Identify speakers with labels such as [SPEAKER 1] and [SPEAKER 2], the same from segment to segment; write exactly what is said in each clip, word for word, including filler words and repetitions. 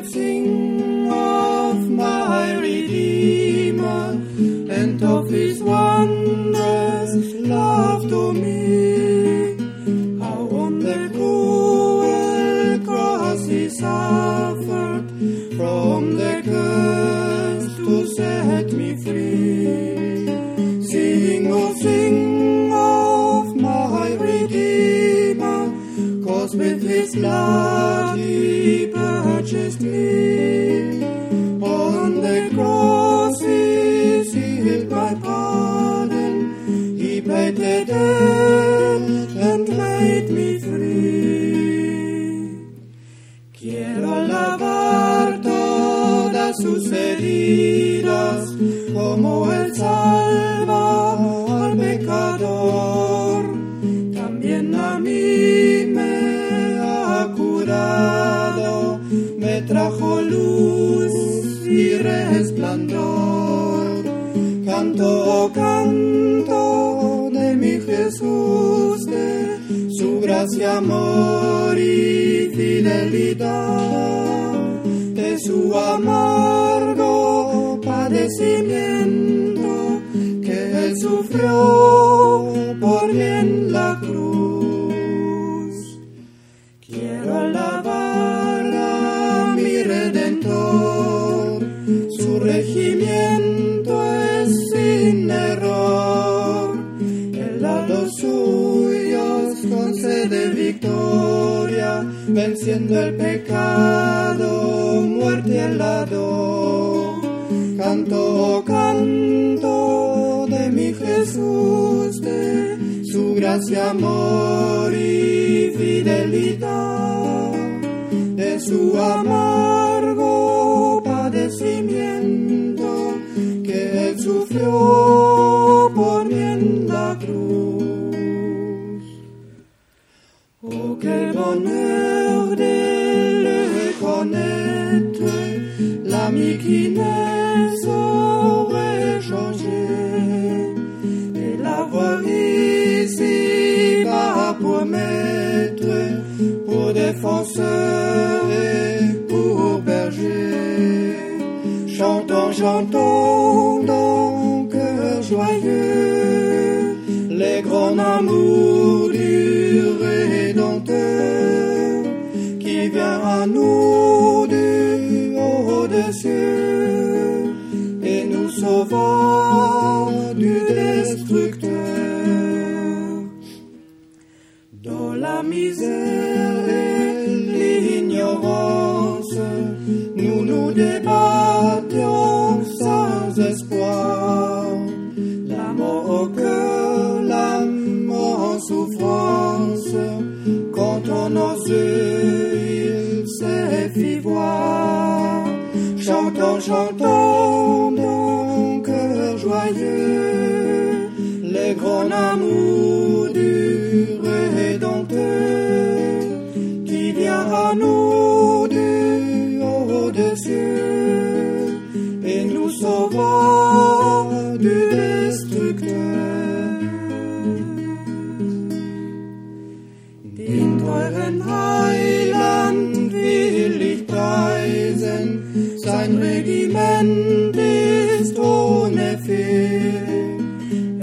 [SPEAKER 1] will sing of my Redeemer and of his wondrous love to me. How on the cruel cross he suffered from the curse to set me free. Sing, oh sing of my Redeemer, 'cause with his blood he purchased me. On the cross he sealed my pardon, he paid the debt and made me free. Quiero lavar todas sus heridas, como él salva al pecador. También a mí me ha curado, me trajo luz y resplandor. Canto, canto de mi Jesús, de su gracia, amor y fidelidad, de su amargo padecimiento que él sufrió por mí en la cruz. Quiero alabar a mi Redentor, su regimiento es sin error. Él a los suyos concede victoria, venciendo el pecado, muerte y el hado. Canto, canto de mi Jesús, de su gracia, amor y fidelidad, de su amargo padecimiento que él sufrió por mí en la cruz. Oh, quel bonheur de le connaître, l'ami qui ne saurait changer, et l'avoir ici bas pour maître, pour défenseur et pour berger. Chantons, chantons dans cœur joyeux les grands amours du Rédempteur, qui vient à nous du haut des cieux et nous sauvant du destructeur. Dans la misère et l'ignorance, nous nous débattions sans espoir. La mort au cœur, la mort en souffrance, quand on nos yeux il s'est fit voir. Chantons, chantons dans cœur joyeux les grands amours du Rédempteur, qui vient à nous du haut des cieux et nous sauvant du destructeur. Den teuren Heiland will ich preisen, sein Regiment ist ohne Fehl.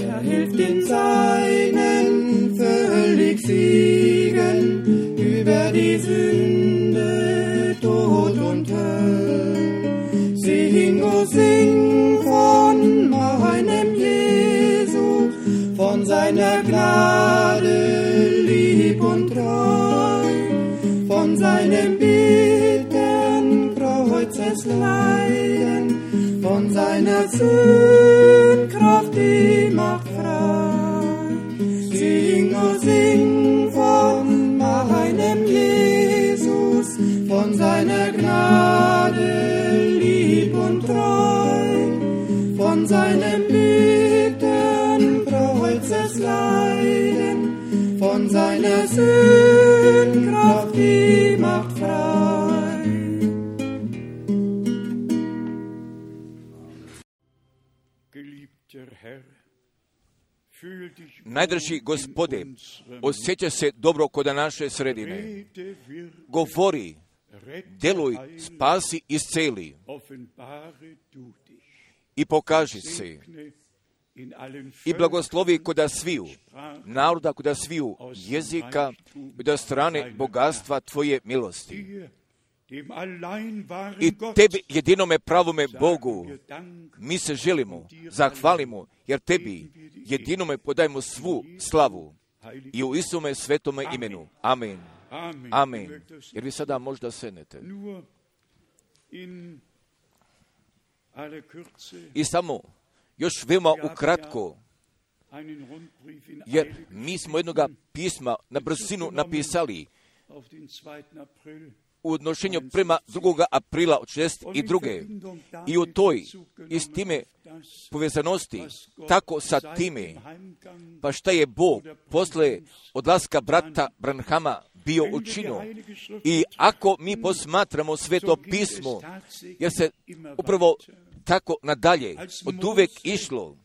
[SPEAKER 1] Er hilft den Seinen völlig siegen über die Sünde, Tod und Hölle. Sing, oh sing von meinem Jesus, von seiner Gnade lieb und treu, von seinem bittern Kreuzesleiden, von seiner Sündkraft die macht frei. Sing, oh sing von meinem Jesus, von seiner Gnade lieb und treu, von seinem bittern Kreuzesleiden, von seiner Sündkraft die macht frei.
[SPEAKER 2] Najdrži Gospode, osjeća se dobro kod naše sredine. Govori Deluj, spasi, isceli i pokaži se i blagoslovi koda sviju naroda, koda sviju jezika, koda strane bogatstva Tvoje milosti. I Tebi, jedinome pravome Bogu, mi se želimo, zahvalimo, jer Tebi, jedinome podajemo svu slavu i u Isuse svetome imenu. Amen. Amen. Jer vi sada možda sednete. I samo, još veoma ukratko, jer mi smo jednoga pisma na brzinu napisali u odnošenju prema drugog aprila od šezdeset druge i u toj i s time povezanosti, tako sa time, pa šta je Bog posle odlaska brata Branhama bio učinio. I ako mi posmatramo Sveto pismo, jer se upravo tako nadalje od uvek išlo,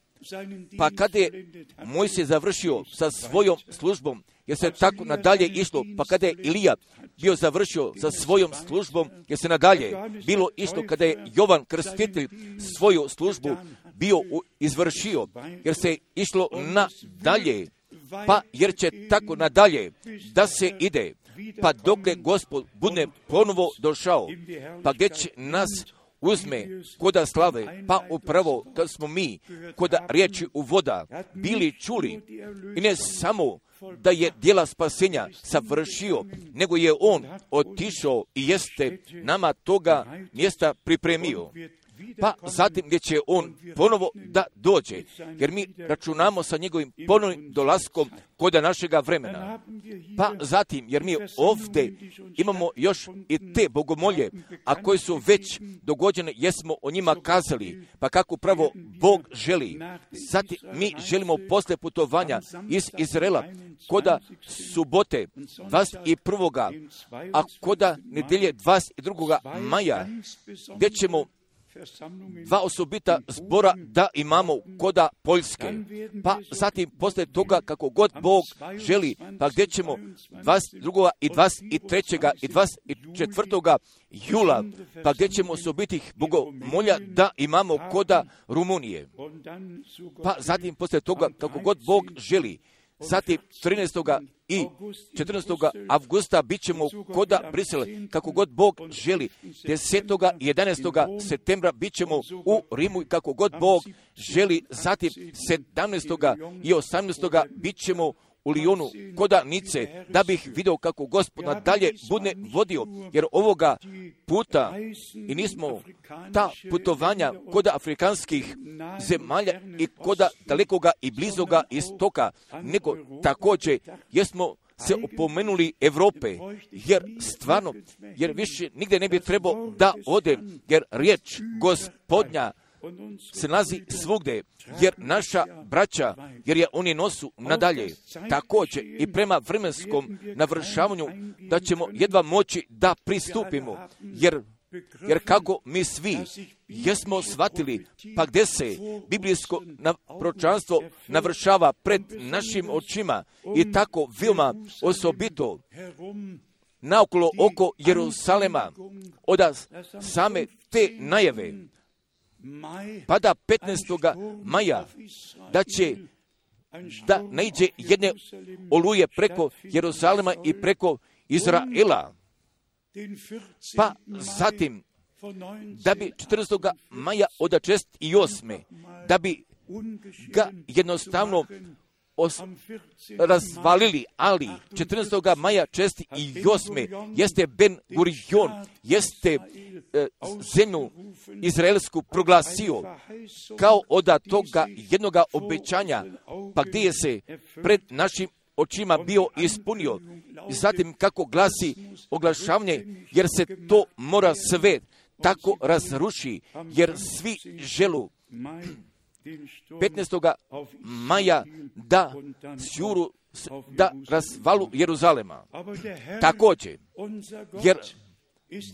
[SPEAKER 2] pa kada je Mojsije završio sa svojom službom, jer se tako nadalje išlo, pa kada je Ilija bio završio sa svojom službom, jer se nadalje bilo išlo kada je Jovan Krstitelj svoju službu bio izvršio, jer se išlo nadalje, pa jer će tako nadalje da se ide, pa dokle Gospod bude ponovo došao, pa gdje će nas uzme koda slave, pa upravo kad smo mi koda riječi u voda bili čuli, i ne samo da je djela spasenja savršio, nego je on otišao i jeste nama toga mjesta pripremio. Pa zatim gdje će on ponovo da dođe, jer mi računamo sa njegovim ponovnim dolaskom koda našega vremena. Pa zatim, jer mi ovdje imamo još i te bogomolje, a koje su već dogođene, jesmo o njima kazali, pa kako pravo Bog želi. Zatim mi želimo posle putovanja iz Izraela, koda subote dvadeset prvoga, a koda nedelje dvadeset drugoga maja, gdje ćemo dva osobita zbora da imamo koda Poljske, pa zatim posle toga kako god Bog želi, pa gdje ćemo dvadeset drugoga i dvadeset trećega i dvadeset četvrtoga jula, pa gdje ćemo osobitih bogomolja da imamo koda Rumunije, pa zatim posle toga kako god Bog želi, zatim trinaestoga i četrnaestoga avgusta bit ćemo koda Brisele, kako god Bog želi. desetog i jedanaestoga septembra bit ćemo u Rimu, kako god Bog želi. Zatim sedamnaestoga i osamnaestoga bit ćemo u Lijonu koda Nice, da bih vidio kako Gospod nadalje bude vodio, jer ovoga puta i nismo ta putovanja koda afrikanskih zemalja i koda dalekoga i blizoga istoka, nego također jesmo se opomenuli Evrope, jer stvarno, jer više nigdje ne bi trebao da ode, jer riječ Gospodnja se nalazi svugde, jer naša braća, jer je oni nosu nadalje, također i prema vremenskom navršavanju, da ćemo jedva moći da pristupimo, jer, jer kako mi svi jesmo shvatili, pa gdje se biblijsko proročanstvo navršava pred našim očima i tako veoma osobito naokolo oko Jerusalema, od same te najave, pa da petnaestoga maja da će da naiđe jedne oluje preko Jeruzalema i preko Izraela, pa zatim da bi četrnaestoga maja od šezdeset osme da bi ga jednostavno os, razvalili, ali četrnaestoga maja šezdeset osme jeste Ben Gurion, jeste e, zemlju izraelsku proglasio kao od toga jednoga obećanja, pa gdje je se pred našim očima bio ispunio. I zatim kako glasi oglašavanje, jer se to mora sve tako razruši, jer svi želu petnaestoga maja da sjuru, da razvalu Jeruzalema. Također, jer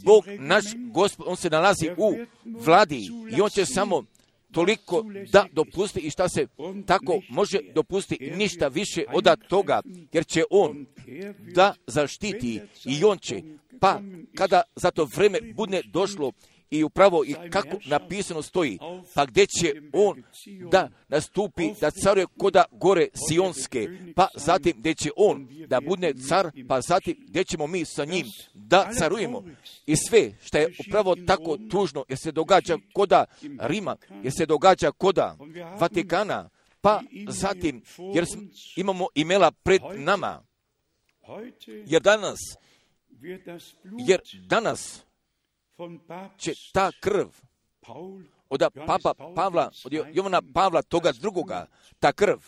[SPEAKER 2] Bog naš Gospod, on se nalazi u vladi i on će samo toliko da dopusti i šta se tako može dopustiti, ništa više od toga, jer će on da zaštiti i on će, pa kada za to vreme bude došlo i upravo i kako napisano stoji, pa gdje će on da nastupi, da caruje koda gore Sionske, pa zatim gdje će on da bude car, pa zatim gdje ćemo mi sa njim da carujemo. I sve što je upravo tako tužno, jer se događa koda Rima, jer se događa koda Vatikana, pa zatim jer imamo imela pred nama, jer danas, jer danas će ta krv od Papa Pavla, od Jovana Pavla toga drugoga, ta krv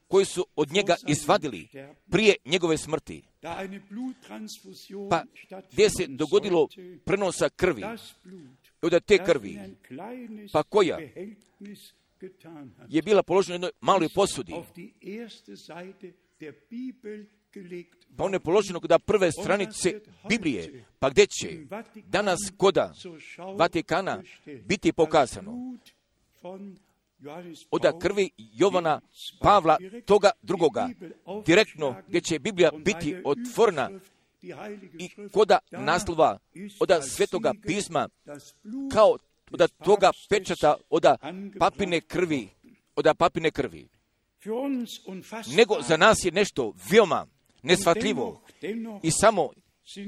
[SPEAKER 2] koju su od njega izvadili prije njegove smrti, pa gdje se dogodilo prenosa krvi, od te krvi, pa koja je bila položena u jednoj maloj posudi, pa on je položeno kod prve stranice Biblije, pa gdje će danas koda Vatikana biti pokazano od krvi Jovana Pavla toga drugoga, direktno gdje će Biblija biti otvorena i koda naslova od svetoga pisma, kao od toga pečata od papine krvi, od papine krvi. Nego za nas je nešto veoma neshvatljivo i samo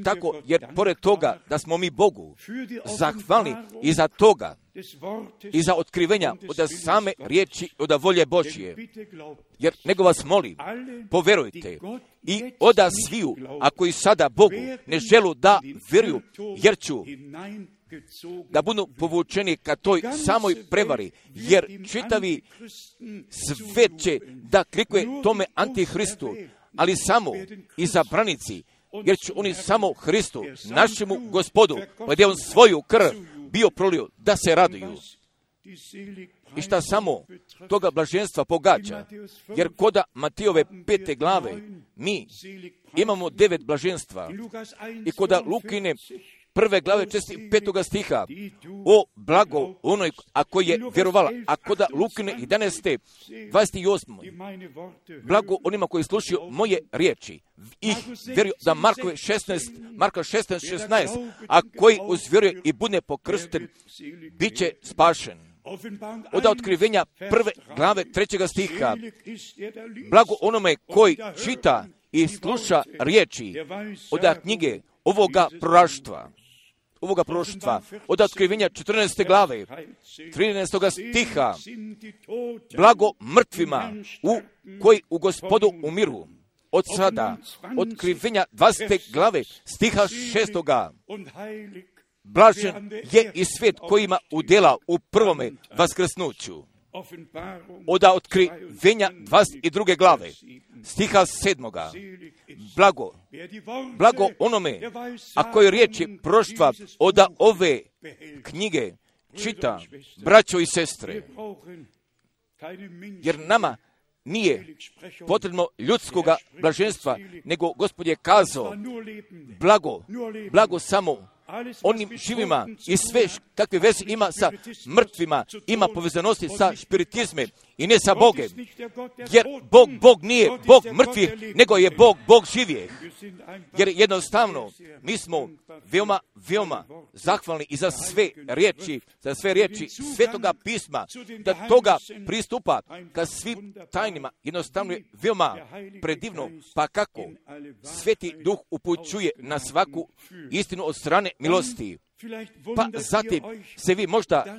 [SPEAKER 2] tako, jer pored toga da smo mi Bogu zahvalni i za toga i za otkrivenja od same riječi od volje Božje, jer nego vas molim, poverujte i oda sviju, ako i sada Bogu ne želu da vjeruju, jer ću da budu povučeni ka toj samoj prevari, jer čitavi svet će da klikuje tome antihristu, ali samo izabranici, jer će oni samo Hristu, našemu Gospodu, gdje on svoju krv bio prolio, da se raduju. I šta samo toga blaženstva pogađa, jer koda Matijove pete glave mi imamo devet blaženstva i koda Lukine prve glave česti petoga stiha, o blago onoj, ako je vjerovala, a koda Lukine jedanaeste, dvadeset osme, blago onima koji slušaju moje riječi, ih vjeruju da Markove šesnaest, Marka šesnaest, šesnaest, a koji uzvjeruje i bude pokršten, bit će spašen. Od otkrivenja prve glave trećega stiha, blago onome koji čita i sluša riječi od knjige ovoga proroštva, ovoga proroštva, od otkrivenja četrnaeste glave, trinaestog stiha, blago mrtvima u koji u Gospodu umiru. Od sada, otkrivenja dvadesete glave, stiha šestoga, blažen je i svijet koji ima udjela u prvome vaskrsnuću. Od otkrivenja dvadeset druge glave, stiha sedmoga, blago, blago onome, a koji riječi proroštva od ove knjige čita, braćo i sestre, jer nama nije potrebno ljudskoga blaženstva, nego Gospod je kazao, blago, blago samo onim živima i sve kakve veze ima sa mrtvima, ima povezanosti sa spiritizmem i ne sa Bogem. Jer Bog, Bog nije Bog mrtvih, nego je Bog, Bog živijeh. Jer jednostavno mi smo veoma, veoma zahvalni i za sve riječi, za sve riječi Svetoga pisma, da toga pristupa ka svim tajnima. Jednostavno je veoma predivno, pa kako Sveti Duh upućuje na svaku istinu od strane milosti. Pa zatim se vi možda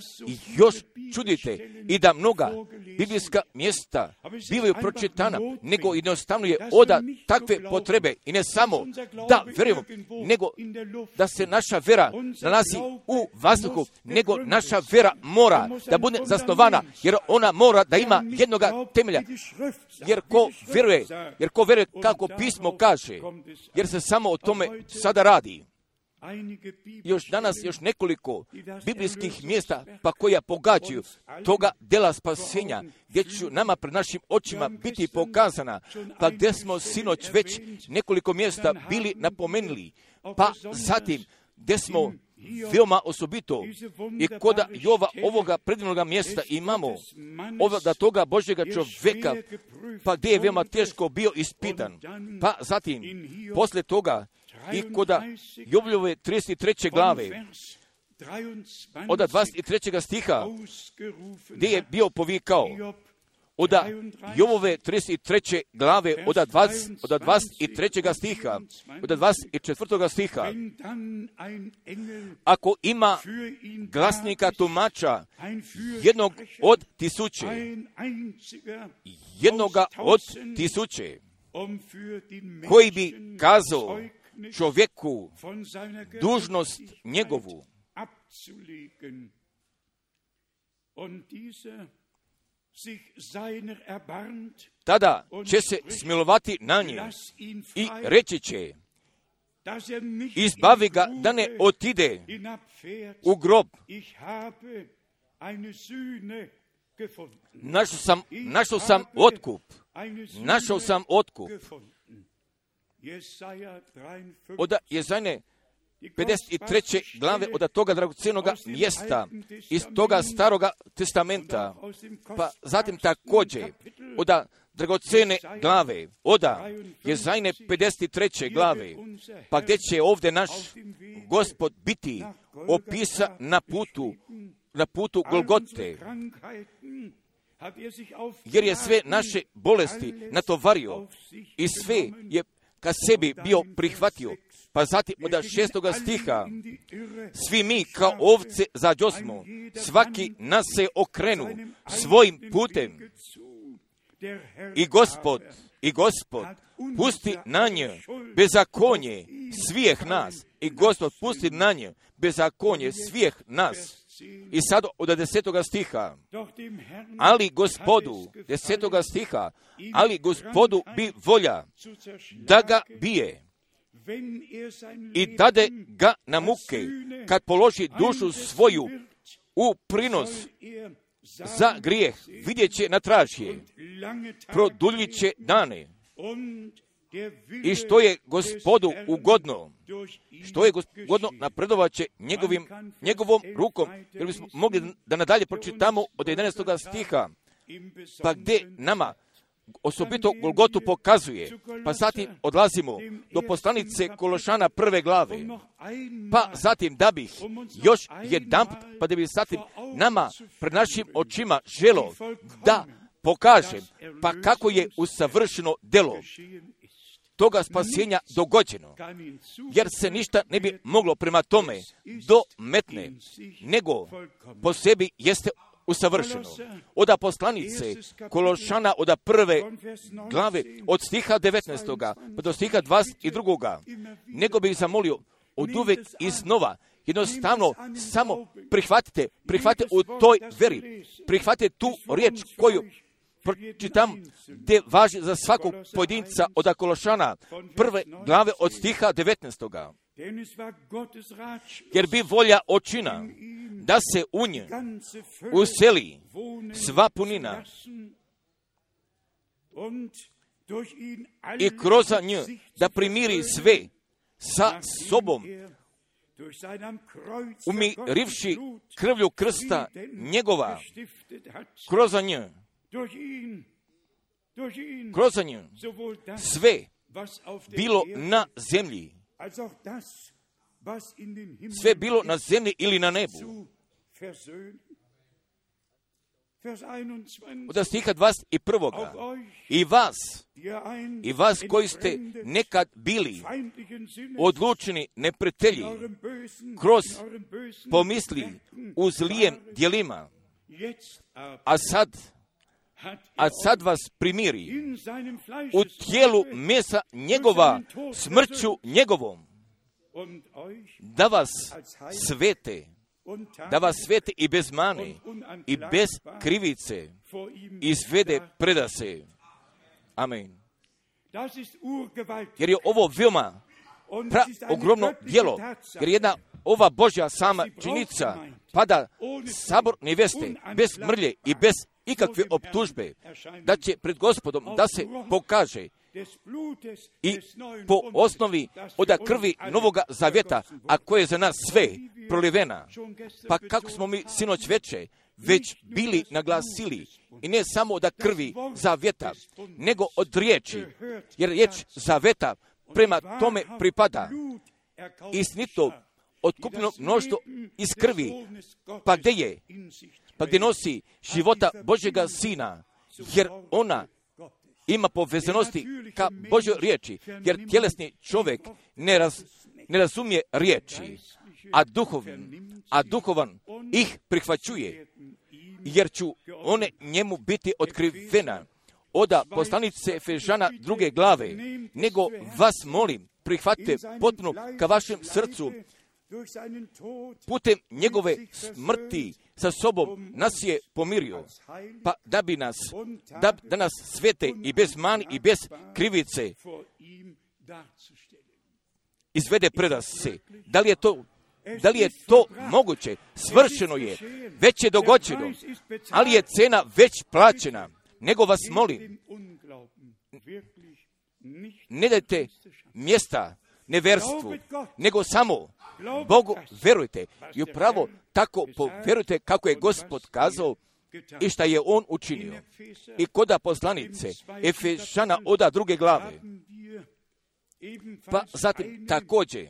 [SPEAKER 2] još čudite i da mnoga biblijska mjesta bivaju pročitana, nego jednostavno je oda takve potrebe i ne samo da vjerujemo, nego da se naša vera nalazi u vazduhu, nego naša vera mora da bude zasnovana, jer ona mora da ima jednoga temelja. Jer ko vjeruje, jer ko vjeruje kako pismo kaže, jer se samo o tome sada radi. Još danas još nekoliko biblijskih mjesta pa koja pogađaju toga dela spasenja, gdje će nama pred našim očima biti pokazana, pa gdje smo sinoć već nekoliko mjesta bili napomenuli, pa zatim gdje smo veoma osobito i kod Jova ovoga predivnoga mjesta imamo ovoga toga Božjega čovjeka, pa gdje je veoma teško bio ispitan. Pa zatim, poslije toga, i kod Jovljove trideset treće glave, od dvadeset trećeg stiha, gdje je bio povikao, od Jovove trideset treće glave, od dvadeset trećeg stiha, od dvadeset četvrtog stiha, ako ima glasnika tumača jednog od tisuće, jednoga od tisuće, koji bi kazao čovjeku dužnost njegovu, tada će se smilovati na nje i reći će, izbavi ga da ne otide u grob. Našao sam, našao sam otkup. Našao sam otkup. Od Jezajne pedeset treće glave, od toga dragocjenoga mjesta, iz toga staroga testamenta, pa zatim također od dragocjene glave, od Jezajne pedeset treće glave, pa gdje će ovdje naš Gospod biti opisan na putu, na putu Golgote, jer je sve naše bolesti natovario i sve je ka sebi bio prihvatio. Pa zatim od šestoga stiha, svi mi kao ovce zađosmo, svaki nas se okrenu svojim putem. I Gospod, i Gospod pusti na nje bezakonje svih nas. I Gospod pusti na nje bezakonje svih nas. I sad od desetoga stiha, ali Gospodu, desetoga stiha, ali Gospodu bi volja da ga bije i dade ga na muke, kad položi dušu svoju u prinos za grijeh, vidjet će na tražje, produljit će dane. I što je Gospodu ugodno, što je Gospodu napredovat će njegovim, njegovom rukom, jer bismo mogli da nadalje pročitamo od jedanaestoga stiha, pa gdje nama osobito Golgotu pokazuje, pa zatim odlazimo do poslanice Kološana prve glave, pa zatim da bih još jedanput, pa da bih zatim nama pred našim očima želo da pokažem, pa kako je usavršeno delo toga spasenja dogođeno, jer se ništa ne bi moglo prema tome dometne, nego po sebi jeste usavršeno. Od poslanice Kološana od prve glave, od stiha devetnaestoga pa do stiha dvadeset drugoga, nego bih zamolio od uvek iznova, jednostavno samo prihvatite, prihvatite u toj veri, prihvatite tu riječ koju pročitam, gdje važi za svakog pojedinca od Kološana prve glave od stiha devetnaestoga. Jer bi volja očina da se u nje useli sva punina i kroz nju da primiri sve sa sobom, umirivši krvlju krsta njegova, kroz nju, kroz nju sve bilo na zemlji, sve bilo na zemlji ili na nebu. Od stiha dvadeset prvoga. I vas, i vas koji ste nekad bili odlučni neprijatelji kroz pomisli u zlijem djelima, a sad, a sad vas primiri u tijelu mesa njegova smrću njegovom, da vas svete, da vas svete i bez mane i bez krivice izvede predase. Amen. Jer je ovo veoma pra ogromno djelo, jer jedna ova Božja sama činjenica pada sabor neveste bez mrlje i bez ikakve optužbe, da će pred Gospodom da se pokaže i po osnovi od krvi Novoga Zavjeta, a koje je za nas sve prolivena. Pa kako smo mi sinoć veče već bili naglasili, i ne samo od krvi zavjeta, nego od riječi, jer riječ zavjeta prema tome pripada istinito otkupljeno mnoštvo iz krvi, pa gdje je, pa gdje nosi života Božjega Sina, jer ona ima povezanosti ka Božjoj riječi, jer tjelesni čovjek ne, raz, ne razumije riječi, a duhovan, a duhovan ih prihvaćuje, jer ću one njemu biti otkrivena. Oda poslanice Efežana druge glave, nego vas molim, prihvatite potpuno ka vašem srcu, putem njegove smrti sa sobom nas je pomirio, pa da bi nas, da, da nas svete i bez mani i bez krivice izvede pred se. Da li je to, da li je to moguće? Svršeno je, već je dogođeno, ali je cena već plaćena. Nego vas molim, ne dajte mjesta neverstvu, nego samo Bogu verujte. I upravo tako povjerujte kako je Gospod kazao i šta je On učinio. I koda poslanice Efežana oda druge glave, pa zatim također,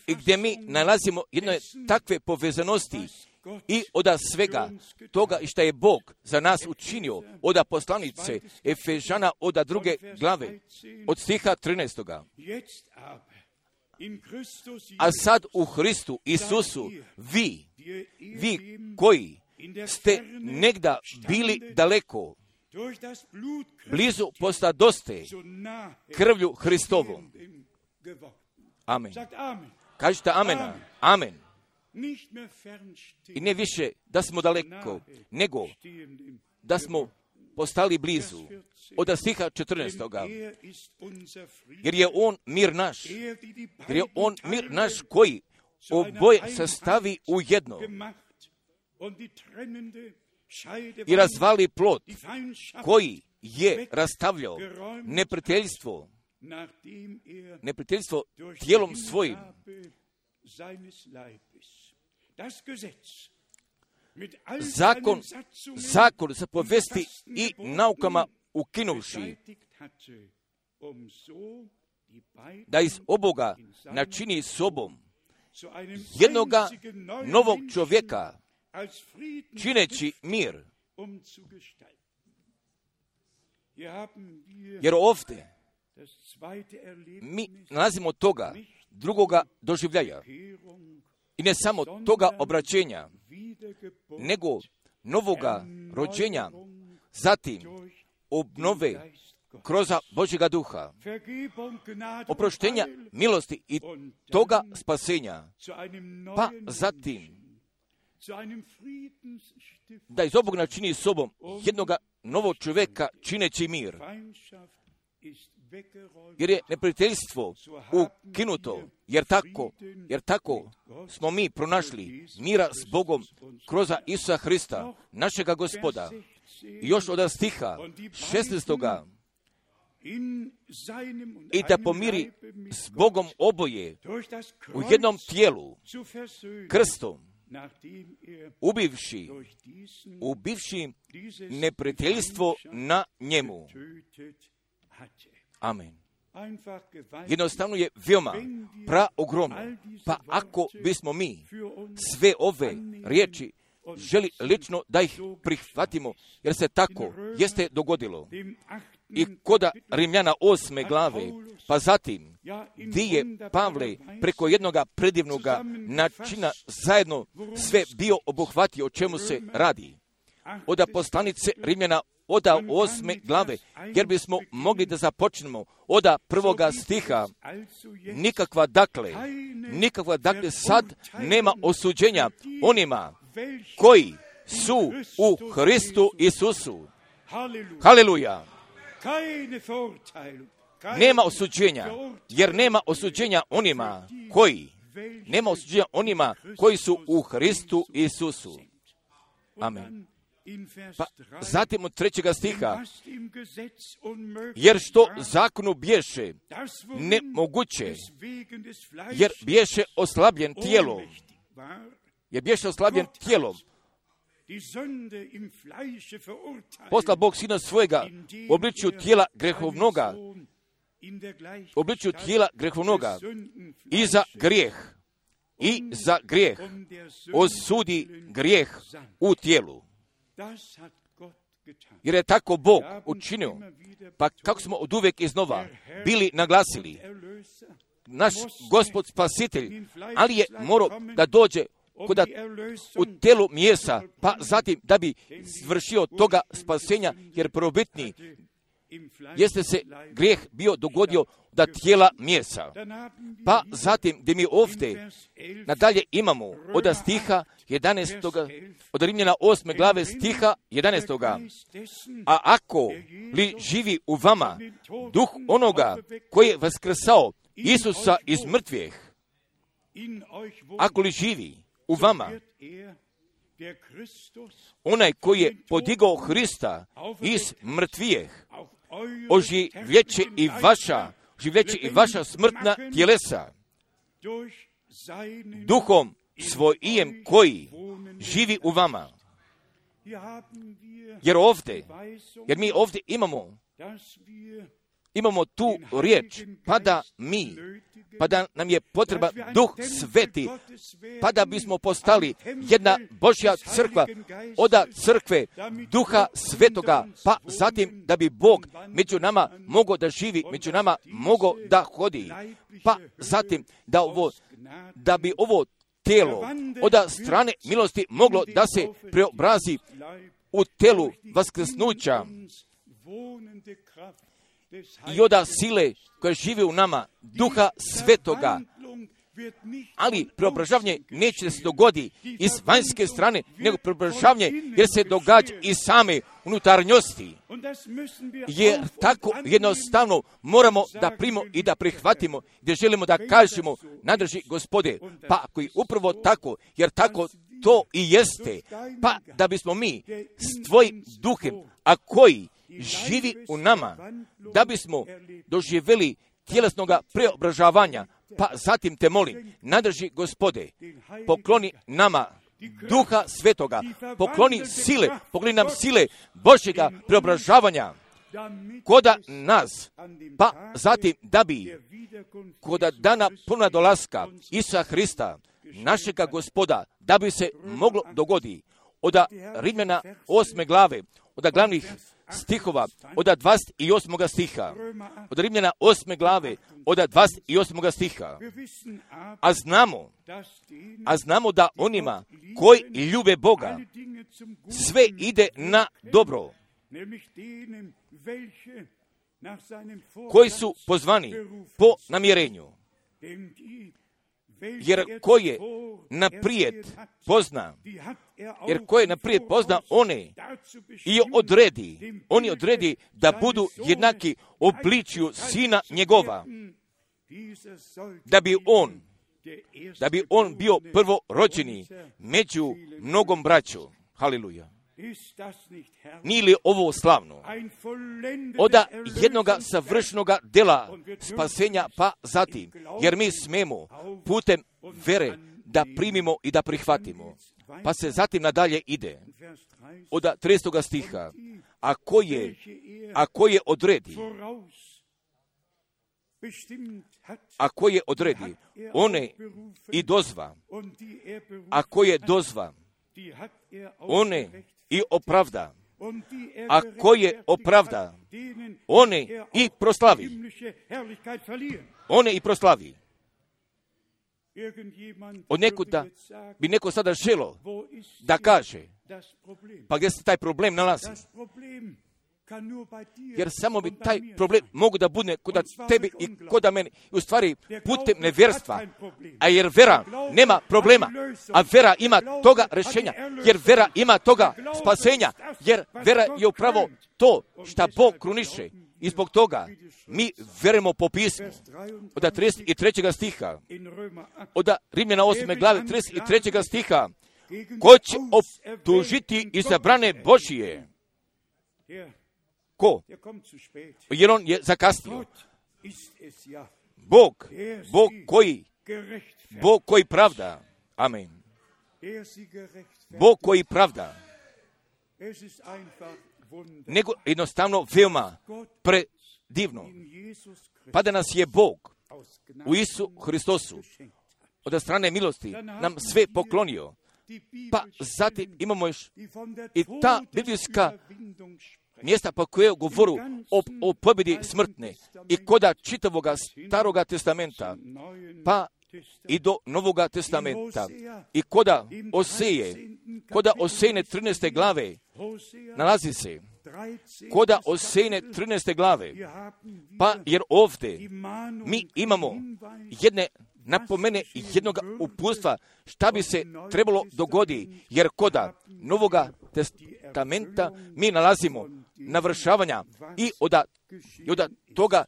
[SPEAKER 2] i gdje mi nalazimo jedne takve povezanosti i oda svega toga i šta je Bog za nas učinio, oda poslanice Efežana oda druge glave, od stiha trinaestoga. A sad u Hristu Isusu vi, vi koji ste negda bili daleko, blizu postadoste krvlju Hristovom. Amen. Kažite amena. Amen. I ne više da smo daleko, nego da smo postali blizu. Od stiha četrnaestoga. Jer je On mir naš. Jer je On mir naš koji oboje sastavi u jedno i razvali plot koji je rastavljao neprijateljstvo, neprijateljstvo tijelom svojim. Zakon, zakon se povesti i naukama ukinuvši, da iz oboga načini sobom jednoga novog čovjeka, čineći mir. Jer ovdje mi nalazimo toga drugoga doživljaja. I ne samo toga obraćenja, nego novoga rođenja, zatim obnove kroz Božjega duha, oproštenja milosti i toga spasenja, pa zatim da iz obog načini sobom jednoga novog čovjeka čineći mir. Jer je neprijateljstvo ukinuto, jer tako, jer tako smo mi pronašli mira s Bogom kroz Isusa Hrista, našega Gospoda. I još od stiha šesnaestoga. I da pomiri s Bogom oboje u jednom tijelu, krstom, ubivši, ubivši neprijateljstvo na njemu. Amen. Jednostavno je veoma praogromno. Pa ako bismo mi sve ove riječi želi lično da ih prihvatimo, jer se tako jeste dogodilo. I koda Rimljana osme glave, pa zatim di je Pavle preko jednoga predivnoga načina zajedno sve bio obuhvatio o čemu se radi. Oda poslanice Rimljana oda osme glave, jer bismo mogli da započnemo oda prvoga stiha. Nikakva dakle, nikakva dakle sad nema osuđenja onima koji su u Hristu Isusu. Haleluja! Nema osuđenja, jer nema osuđenja onima koji, nema osuđenja onima koji su u Hristu Isusu. Amen. Pa zatim od trećega stiha, jer što zakonu bješe nemoguće, jer bješe oslabljen tijelo, je bješe oslabljen tijelom. Posla Bog sina svojega u obličju tijela grehovnoga, u obličju tijela grehovnoga i za grijeh, i za grijeh osudi grijeh u tijelu. Jer je tako Bog učinio, pa kako smo od uvijek iznova bili naglasili, naš Gospod spasitelj, ali je morao da dođe kuda u telu mjesa, pa zatim da bi vršio toga spasenja, jer prvobitni jeste se grijeh bio dogodio da tijela mjesa. Pa zatim gdje mi ovdje nadalje imamo od stiha jedanaestog od Rimljana osme glave stiha jedanaestog A ako li živi u vama duh onoga koji je vaskrsao Isusa iz mrtvih, ako li živi u vama onaj koji je podigao Hrista iz mrtvijeh, oživljeće i vaša, oživljeće i vaša smrtna tjelesa duhom svojim koji živi u vama. Jer ovdje, jer mi ovdje imamo, imamo tu riječ, pa da mi, pa da nam je potreba Duh Sveti, pa da bismo postali jedna Božja crkva, oda crkve Duha Svetoga, pa zatim da bi Bog među nama mogao da živi, među nama mogao da hodi, pa zatim da, ovo, da bi ovo telo od strane milosti moglo da se preobrazi u telu vaskrsnuća i oda sile koja živi u nama, Duha Svetoga. Ali preobražavanje neće se dogodi iz vanjske strane, nego preobražavanje jer se događa iz same unutarnjosti. Jer tako jednostavno moramo da primimo i da prihvatimo, gdje želimo da kažemo, nadrži Gospode, pa ako je upravo tako, jer tako to i jeste, pa da bismo mi s tvojim duhem, a koji živi u nama, da bismo doživjeli tjelesnoga preobražavanja, pa zatim te molim, nadrži Gospode, pokloni nama Duha Svetoga, pokloni sile, pokloni nam sile Božjega preobražavanja koda nas, pa zatim da bi koda dana puna dolaska Isusa Hrista, našega Gospoda, da bi se moglo dogodi od Rimljana osme glave, od glavnih stihova, od dvadeset osmog stiha, od Rimljana osme glave, od dvadeset osmog stiha. A znamo, a znamo da onima koji ljube Boga, sve ide na dobro, koji su pozvani po namjerenju. Jer ko je naprijed pozna, jer ko je naprijed pozna one i odredi, oni odredi da budu jednaki obličju sina njegova, da bi on, da bi on bio prvorođeni među mnogom braću. Haleluja. Nije li ovo slavno? Oda jednoga savršenoga dela spasenja, pa zatim, jer mi smemo putem vere da primimo i da prihvatimo. Pa se zatim nadalje ide. Od tridesetog stiha, a ko je, a ko je odredi, a ko je odredi, one i dozva, a ko je dozva, one i opravda, a ko je opravda, one i proslavi, one i proslavi. Od nekuda bi neko sada želo da kaže, pa gdje se taj problem nalazi? Jer samo bi taj problem mogu da bude kod tebi i kod mene. U stvari putem nevjerstva. A jer vera nema problema. A vera ima toga rješenja. Jer vera ima toga spasenja. Jer vera je upravo to što Bog kruniše. I zbog toga mi verujemo po pismu. Od trideset trećeg stiha. Od Rimljana osme glave trideset trećeg stiha. Ko će optužiti izabrane Božije? Ko? Jer on je zakasnio. Bog, Bog koji, Bog koji pravda. Amen. Bog koji pravda, nego jednostavno veoma predivno. Pa da nas je Bog u Isu Hristosu od strane milosti nam sve poklonio. Pa zatim imamo još i ta biblijska mjesta pa koje govoru o, o pobjedi smrtne i koda čitavoga Staroga testamenta pa i do Novoga testamenta i koda Oseje, koda Osejne trinaeste glave nalazi se, koda Osejne trinaeste glave, pa jer ovdje mi imamo jedne napomene jednog uputstva šta bi se trebalo dogodi, jer koda Novoga testamenta mi nalazimo navršavanja i od, i od toga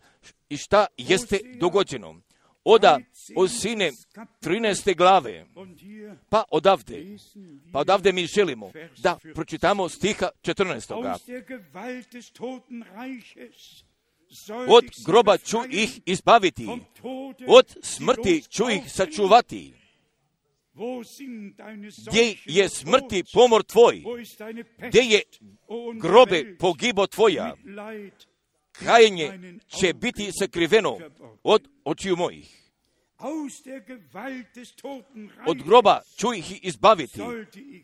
[SPEAKER 2] i šta jeste dogođeno. Oda Osejne trinaeste glave, pa odavde, pa odavde mi želimo da pročitamo stiha četrnaestoga. Od groba ću ih izbaviti, od smrti ću ih sačuvati. Gdje je smrti pomor tvoj, gdje je grobe pogibo tvoja, kajenje će biti sakriveno od očiju mojih. Od groba ću ih izbaviti,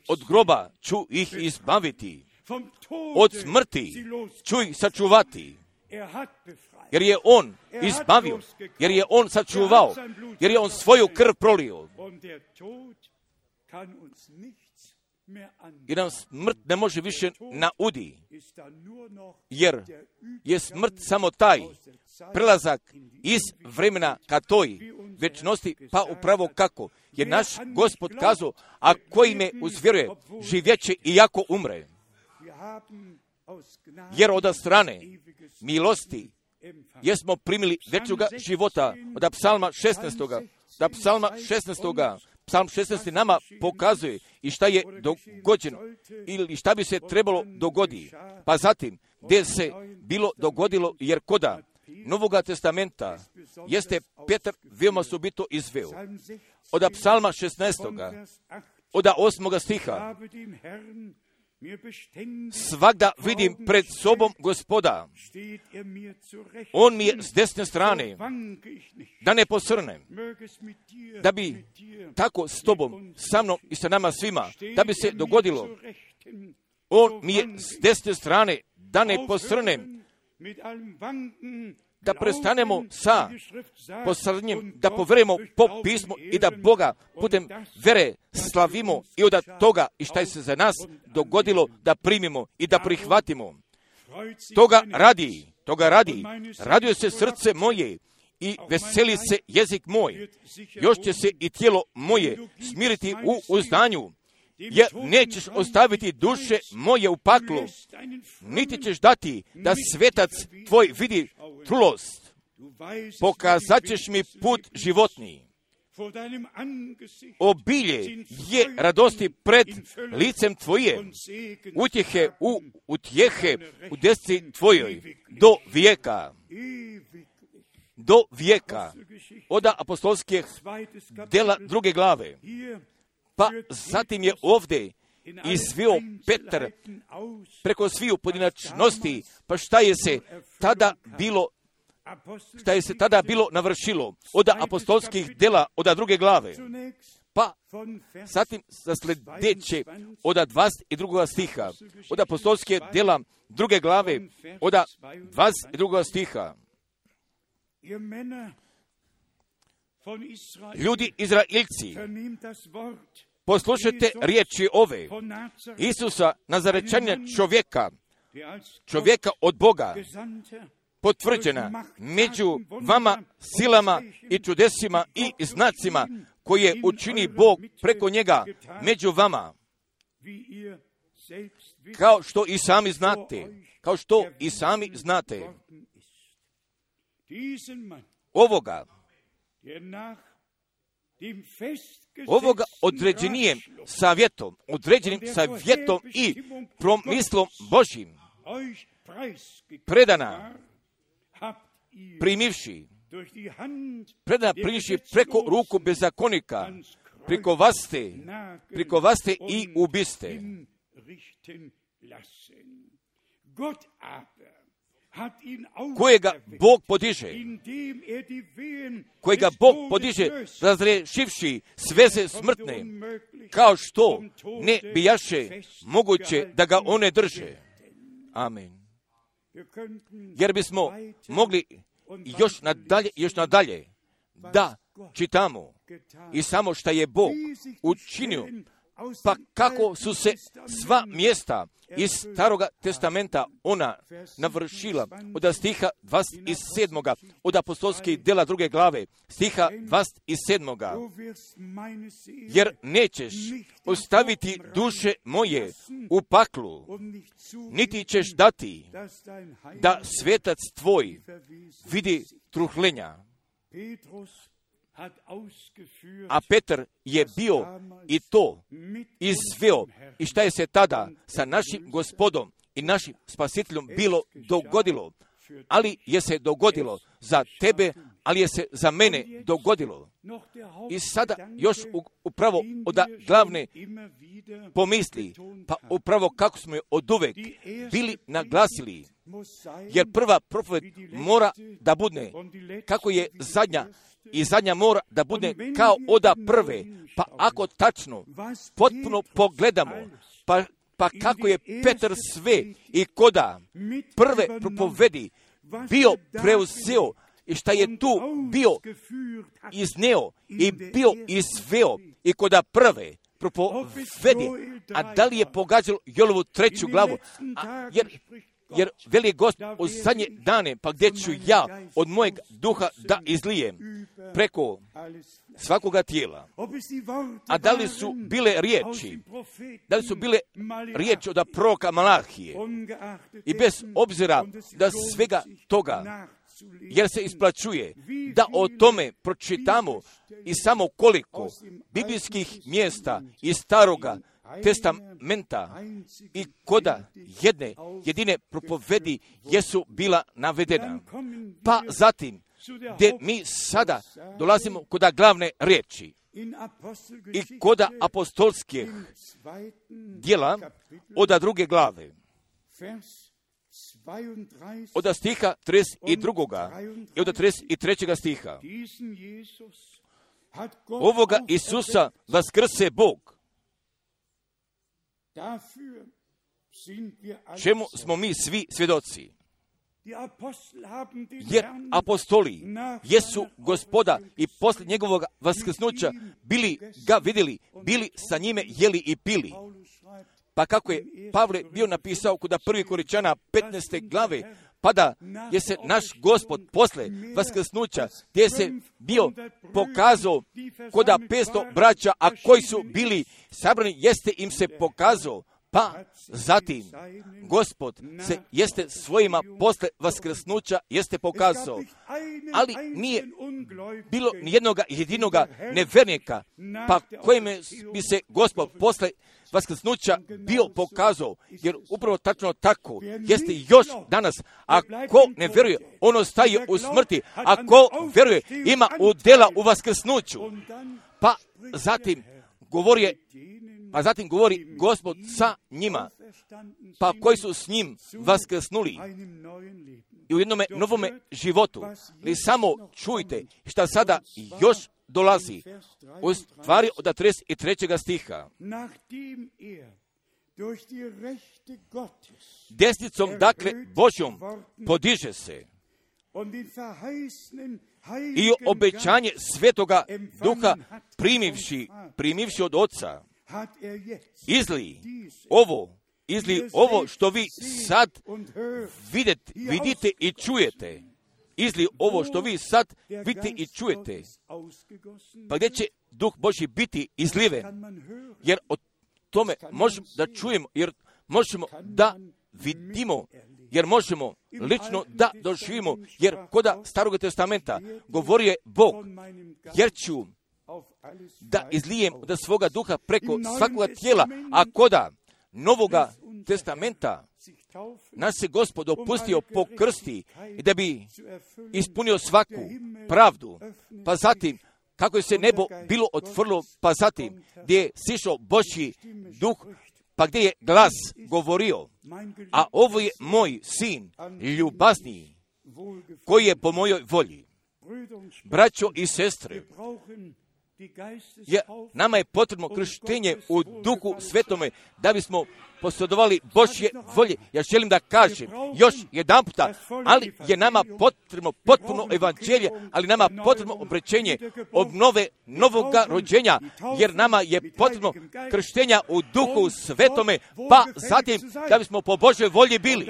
[SPEAKER 2] od groba ću ih izbaviti, od smrti ću ih sačuvati, jer je on izbavio, jer je on sačuvao, jer je on svoju krv prolio. I nam smrt ne može više naudi, jer je smrt samo taj prelazak iz vremena ka toj večnosti, pa upravo kako je naš Gospod kazao, a koji me uzvjeruje živjeće iako umre. Jer od strane milosti jesmo primili večnoga života. Od psalma šesnaestoga. Da psalma šesnaestoga. Psalm šesnaesti nama pokazuje i šta je dogođeno ili šta bi se trebalo dogodi. Pa zatim, gdje se bilo dogodilo, jer koda Novoga testamenta jeste Petar veoma subito izveo. Od psalma šesnaestoga. Od osmoga stiha. Svagda vidim pred sobom Gospoda. On mi je s desne strane, da ne posrnem, da bi tako s tobom, sa mnom i sa nama svima, da bi se dogodilo. On mi je s desne strane, da ne posrnem, da prestanemo sa posrnjem, da poverujemo po pismu i da Boga putem vere slavimo i od toga i šta je se za nas dogodilo da primimo i da prihvatimo. Toga radi, toga radi, raduje se srce moje i veseli se jezik moj. Još će se i tijelo moje smiriti u uzdanju, jer nećeš ostaviti duše moje u paklu, niti ćeš dati da svetac tvoj vidi trulost. Pokazat ćeš mi put životni. Obilje je radosti pred licem tvoje, utjehe u utjehe u desci tvojoj, do vijeka. Do vijeka. Oda apostolskih dela druge glave. Pa zatim je ovdje izvio Petar preko sviju pojedinačnosti, pa šta je se tada bilo, šta je se tada bilo navršilo od apostolskih dela od druge glave. Pa zatim za sljedeće od dvadeset drugog stiha, od apostolskih dela druge glave, od dvadeset drugog stiha. Ljudi Izraelci, poslušajte riječi ove, Isusa Nazarečanina čovjeka, čovjeka od Boga, potvrđena među vama silama i čudesima i znacima koje učini Bog preko njega među vama, kao što i sami znate, kao što i sami znate. Ovoga, ovoga određenijem savjetom, određenim savjetom i promislom Božjim predana primivši, predana primivši preko ruku bezakonika preko vas ste, preko vas ste i ubiste. Kojega Bog podiže, kojega Bog podiže, razrešivši sveze smrtne, kao što ne bijaše moguće da ga one drže. Amen. Jer bismo mogli još nadalje, još nadalje da čitamo i samo što je Bog učinio, pa kako su se sva mjesta iz Staroga testamenta ona navršila, od stiha dvadeset sedam od apostolskih djela druge glave, stiha dvadeset sedam Jer nećeš ostaviti duše moje u paklu, niti ćeš dati da svetac tvoj vidi truhlenja. A Petar je bio i to izveo i šta je se tada sa našim Gospodom i našim Spasiteljem bilo dogodilo, ali je se dogodilo za tebe, ali je se za mene dogodilo. I sada još upravo od glavne pomisli, pa upravo kako smo je oduvek bili naglasili, jer prva propoved mora da bude kako je zadnja, i zadnja mora da bude kao oda prve, pa ako tačno, potpuno pogledamo, pa, pa kako je Petar sve i koda prve propovedi bio preuzeo i šta je tu bio izneo i bio izveo i koda prve propovedi, a da li je pogađalo Joelovu treću glavu, a, jer Jer veli Gospod u zadnje dane, pa gdje ću ja od mojeg duha da izlijem preko svakoga tijela. A da li su bile riječi, da li su bile riječi od proroka Malahije i bez obzira da svega toga, jer se isplaćuje da o tome pročitamo i samo koliko biblijskih mjesta iz Staroga testamenta i koda jedne jedine propovedi jesu bila navedena. Pa zatim, gdje mi sada dolazimo koda glavne riječi i koda apostolskih djela od druge glave, od stiha trideset dva i od trideset trećeg stiha. Ovoga Isusa vaskrse Bog, čemu smo mi svi svjedoci. Jer apostoli jesu Gospoda i poslije njegovog vaskrsnuća bili ga vidjeli, bili sa njime jeli i pili. Pa kako je Pavle bio napisao kod prvi Korinčana petnaeste glave, pa da je se naš Gospod posle vaskrsnuća, gdje se bio pokazao koda petsto braća, a koji su bili sabrani, jeste im se pokazao, pa zatim Gospod se jeste svojima posle vaskrsnuća jeste pokazao, ali nije bilo nijednoga jedinoga nevjernika, pa kojim bi se Gospod posle vaskrsnuća bio pokazao, jer upravo tačno tako jeste još danas. A ko ne vjeruje, on ostaje u smrti, a ko vjeruje, ima udjela u vaskrsnuću. Pa zatim govori, pa zatim govori Gospod sa njima, pa koji su s njim vaskrsnuli i u jednome novome životu. Vi samo čujte šta sada još dolazi u stvari od trideset trećeg stiha. Desnicom, dakle, Božjom podiže se i obećanje Svetoga Duha primivši, primivši od Oca, izli ovo, izli ovo što vi sad vidite, vidite i čujete. Izli ovo što vi sad vidite i čujete. Pa gdje će Duh Božji biti izliven? Jer o tome možemo da čujemo, jer možemo da vidimo, jer možemo lično da doživimo, jer koda Starog testamenta govori je Bog, jer ću da izlijem da svoga duha preko svakoga tijela, a koda Novoga testamenta nas se Gospod opustio po krsti i da bi ispunio svaku pravdu. Pa zatim, kako je se nebo bilo otvorilo, pa zatim gdje je sišao Božji duh, pa gdje je glas govorio, a ovo je moj sin, ljubazniji, koji je po mojoj volji. Braćo i sestre, je, nama je potrebno krštenje u Duhu Svetome da bismo posjedovali Božje volje. Ja želim da kažem još jedan puta, ali je nama potrebno potpuno evanđelje, ali nama potrebno obrečenje obnove novoga rođenja, jer nama je potrebno krštenja u Duhu Svetome, pa zatim da bismo po Božjoj volji bili.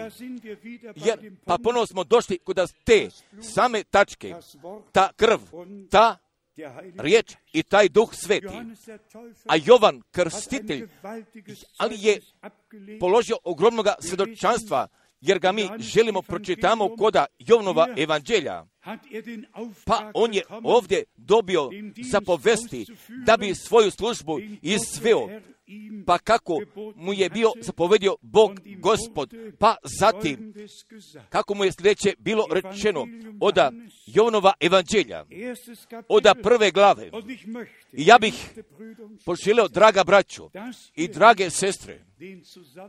[SPEAKER 2] Jer, pa ponovno smo došli kod te same tačke, ta krv, ta riječ i taj Duh Sveti. A Jovan Krstitelj, ali je položio ogromnoga svjedočanstva, jer ga mi želimo pročitamo koda Jovanova evanđelja. Pa on je ovdje dobio zapovesti da bi svoju službu izveo, pa kako mu je bio zapovedio Bog Gospod, pa zatim kako mu je sljedeće bilo rečeno oda Jovanova evanđelja, oda prve glave. I ja bih poželio, draga braćo i drage sestre,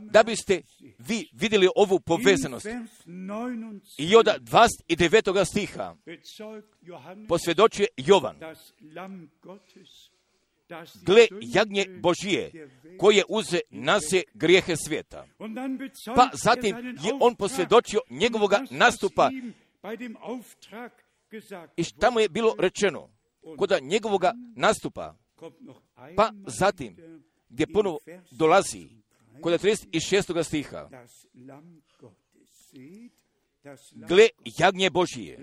[SPEAKER 2] da biste vi vidjeli ovu povezanost. I od dvadeset devetog stiha posvjedočuje Jovan: gle, jagnje Božije, koje uze nase grijehe svijeta. Pa zatim je on posvjedočio njegovoga nastupa. I šta mu je bilo rečeno kod njegovoga nastupa? Pa zatim, gdje ponovo dolazi kod trideset šestog stiha: gle, jagnje Božije.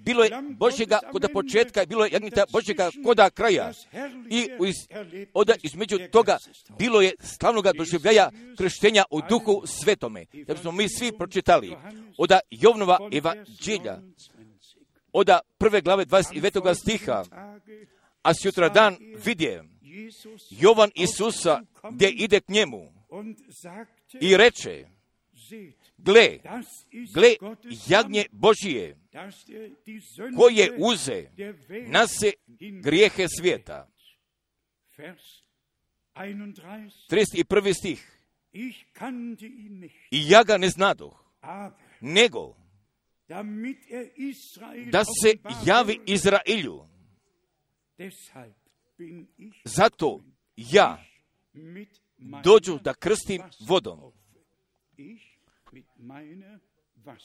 [SPEAKER 2] Bilo je Božjega kod početka, bilo je jagnjeta Božjega kod kraja. I iz, oda između toga bilo je slavnoga doživljaja krštenja u Duhu Svetome. Da smo mi svi pročitali oda Jovanova evanđelja, oda prve glave dvadeset devetog stiha. A sutra dan vidje Jovan Isusa gdje ide k njemu i reče: gle, gle, jagnje Božije, koje uze nase grijehe svijeta. trideset prvi stih. I ja ga ne znadoh, nego da se javi Izraelju. Zato ja dođu da krstim vodom.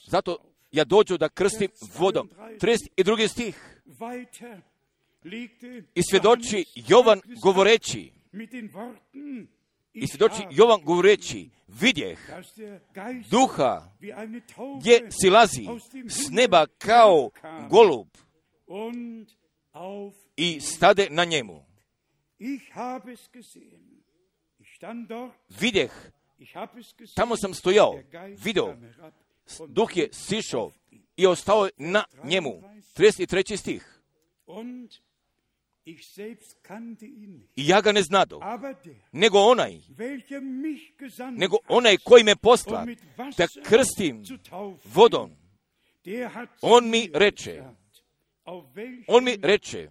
[SPEAKER 2] Zato ja dođu da krstim vodom. trideset drugi stih. I svjedoči Jovan govoreći, i svjedoči Jovan govoreći, vidjeh duha gdje silazi s neba kao golub i stade na njemu. Vidjeh, tamo sam stojao, video, duh je sišao i ostao na njemu. trideset treći stih. I ja ga ne znado, nego onaj, nego onaj koji me posla da krstim vodom. On mi reče, on mi reče,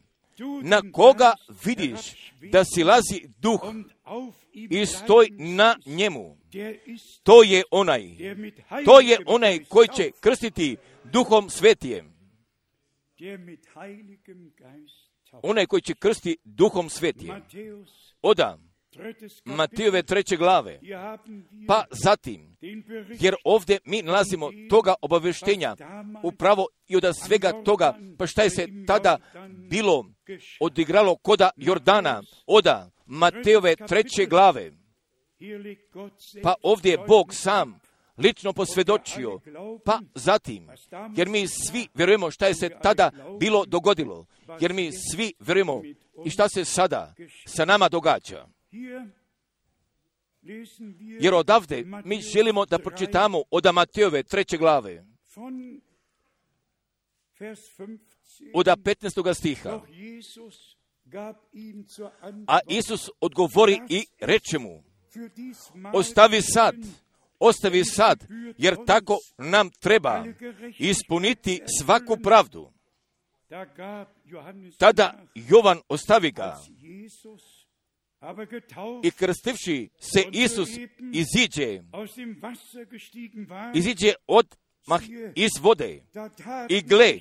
[SPEAKER 2] na koga vidiš da silazi duh i stoj na njemu? To je onaj, to je onaj koji će krstiti Duhom Svetijem. Onaj koji će krstiti Duhom Svetijem. Oda Matejove treće glave. Pa zatim, jer ovdje mi nalazimo toga obavještenja upravo i od svega toga, pa šta je se tada bilo odigralo koda Jordana, oda Matejove treće glave. Pa ovdje je Bog sam lično posvjedočio, pa zatim, jer mi svi vjerujemo šta je se tada bilo dogodilo, jer mi svi vjerujemo i šta se sada sa nama događa. Jer odavde mi želimo da pročitamo od Matejove treće glave, od petnaestog stiha. A Isus odgovori i reče mu: ostavi sad, ostavi sad, jer tako nam treba ispuniti svaku pravdu. Tada Jovan ostavi ga i krstivši se Isus iziđe, iziđe odmah iz vode i gle,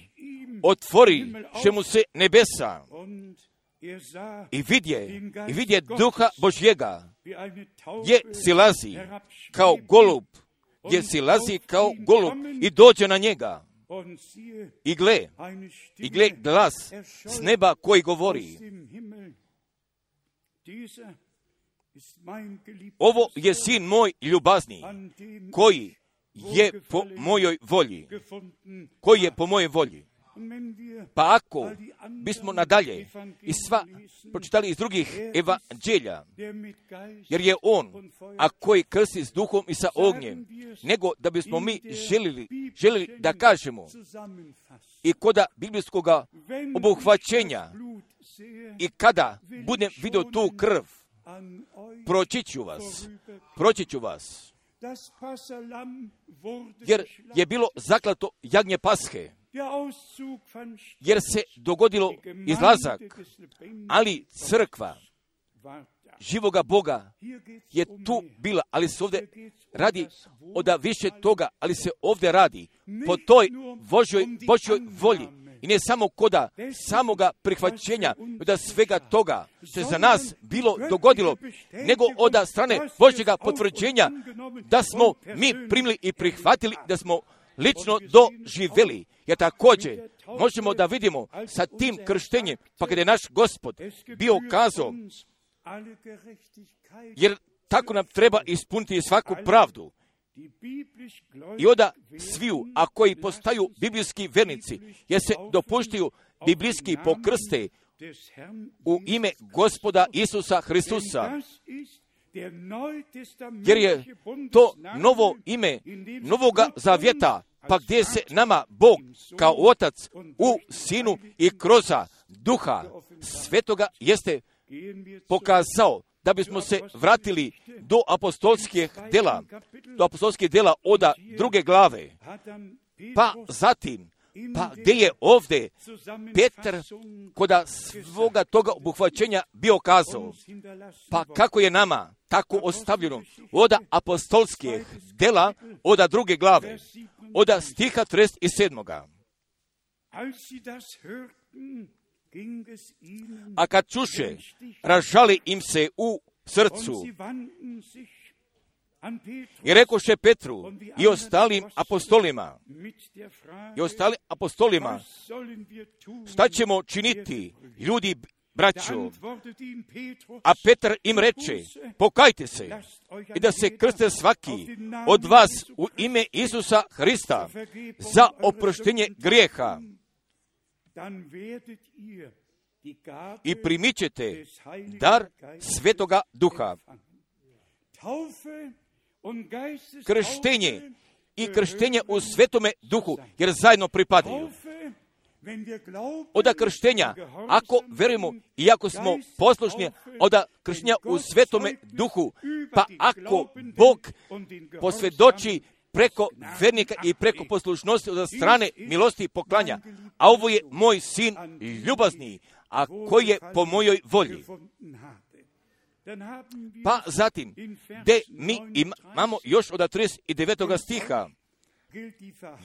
[SPEAKER 2] otvori še mu se nebesa i vidje, i vidje Duha Božjega, gdje silazi kao golub, gdje silazi kao golub i dođe na njega. I gle, i gle glas s neba koji govori: ovo je sin moj ljubazni, koji je po mojoj volji, koji je po mojoj volji. Pa ako bismo nadalje i sva pročitali iz drugih evanđelja, jer je on, a koji krsti s duhom i sa ognjem, nego da bismo mi želili, želili da kažemo i koda biblijskog obuhvaćenja i kada budem vidio tu krv, proći ću vas, proći ću vas, jer je bilo zaklato jagnje Pashe, jer se dogodilo izlazak, ali crkva živoga Boga je tu bila, ali se ovdje radi od više toga, ali se ovdje radi po toj Božjoj, Božjoj volji. I ne samo koda samoga prihvaćenja, da svega toga što je za nas bilo dogodilo, nego od strane Božjega potvrđenja da smo mi primili i prihvatili, da smo lično doživjeli. Jer također možemo da vidimo sa tim krštenjem, pa kada je naš Gospod bio kazao, jer tako nam treba ispuniti svaku pravdu. I onda sviju, a koji postaju biblijski vernici, jer se dopuštaju biblijski pokrste u ime Gospoda Isusa Hristusa, jer je to novo ime novoga zavjeta, pa gdje se nama Bog kao Otac u Sinu i kroz Duha Svetoga jeste pokazao, da bismo se vratili do apostolskih dela, do apostolskih dela od druge glave. Pa zatim, pa gdje je ovdje Petar koda svoga toga obuhvaćenja bio kazao, pa kako je nama tako ostavljeno od apostolskih dela od druge glave, od stiha trideset sedam. A kad čuše, ražali im se u srcu i rekoše Petru i ostalim apostolima, i ostalim apostolima, šta ćemo činiti, ljudi, braćo? A Petar im reče, pokajte se i da se krste svaki od vas u ime Isusa Hrista za oproštenje grijeha i primit ćete dar Svetoga Duha. Krštenje i krštenje u Svetome Duhu, jer zajedno pripadaju. Od krštenja, ako verujemo i ako smo poslušni, od krštenja u Svetome Duhu, pa ako Bog posvjedoči preko vernika i preko poslušnosti od strane milosti i poklanja, a ovo je moj sin ljubazni, a koji je po mojoj volji. Pa zatim, gdje mi imamo još od trideset devetog stiha,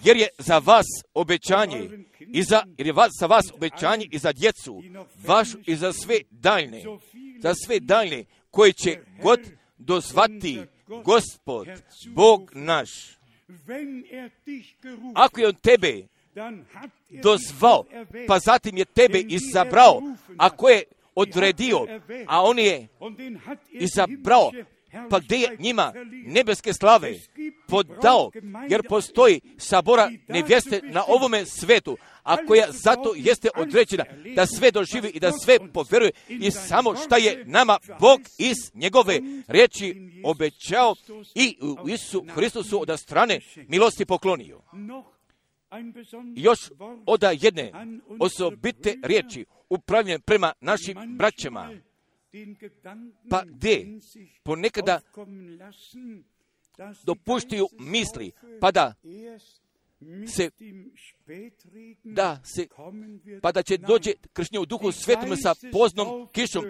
[SPEAKER 2] jer je za vas obećanje, i za, jer je vas, za vas obećanje i za djecu vašu i za sve daljne, za sve daljne koje će god dozvati Gospod, Bog naš. Ako je on tebe dozvao, pa zatim je tebe izabrao, ako je odredio, a on je izabrao, pa gdje je njima nebeske slave podao, jer postoji sabora nevjeste na ovome svetu, a koja zato jeste određena da sve doživi i da sve poveruje i samo šta je nama Bog iz njegove riječi obećao i u Isusu Hristusu od strane milosti poklonio. Još od jedne osobite riječi upravljene prema našim braćama, pa gdje ponekada dopuštaju misli, pa da se, da se, pa da će doći kršenje u duhu svetome sa poznom kišom,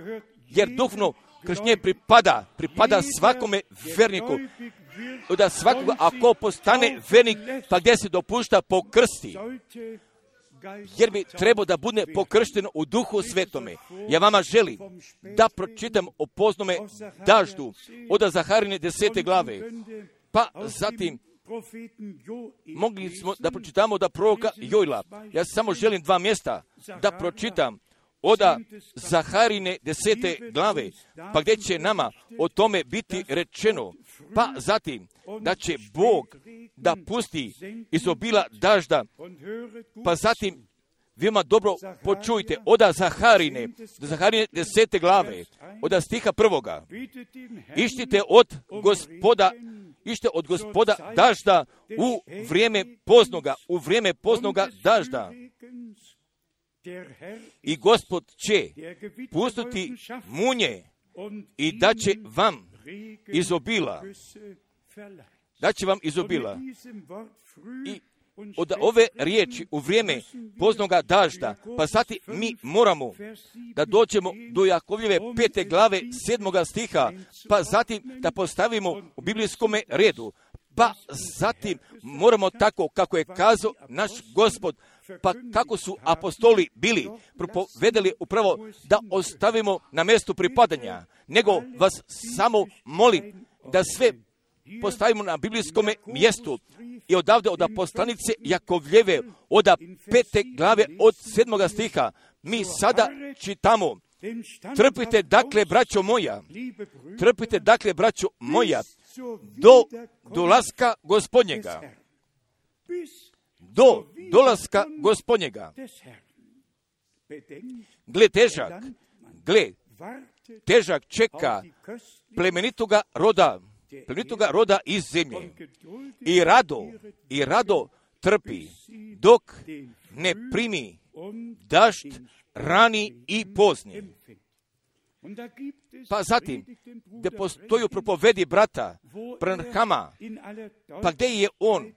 [SPEAKER 2] jer duhovno kršenje pripada, pripada svakome verniku. Da svakoga, ako postane vernik, pa gdje se dopušta pokrsti, jer bi trebao da bude pokršten u duhu svetome. Ja vama želim da pročitam o poznome daždu od Zaharine desete glave, pa zatim mogli smo da pročitamo da proroka Jojla. Ja samo želim dva mjesta da pročitam od Zaharine desete glave, pa gdje će nama o tome biti rečeno. Pa zatim da će Bog da pusti izobila dažda, pa zatim veoma dobro počujte od Zaharine, Zaharine desete glave, od stiha prvoga. Ištite od gospoda, ište od gospoda dažda u vrijeme poznoga, u vrijeme poznoga dažda. I Gospod će pustiti munje i da će vam izobila, da će vam izobila. I od ove riječi u vrijeme poznoga dažda, pa zatim mi moramo da dođemo do Jakovljeve pete glave sedmoga stiha, pa zatim da postavimo u biblijskome redu, pa zatim moramo tako kako je kazao naš Gospod, pa kako su apostoli bili propovedali upravo da ostavimo na mjestu pripadanja, nego vas samo molim da sve postavimo na biblijskom mjestu i odavde od poslanice Jakovljeve od pete glave od sedmoga stiha mi sada čitamo: trpite dakle, braćo moja, trpite dakle, braćo moja, do dolaska Gospodnjega, do dolaska Gospodnjega. Gle težak, gle, težak čeka plemenitoga roda, plemenitoga roda iz zemlje. I rado, i rado trpi, dok ne primi dašt rani i pozni. Pa zatim, gdje postoji u propovedi brata Branhama, pa gdje je on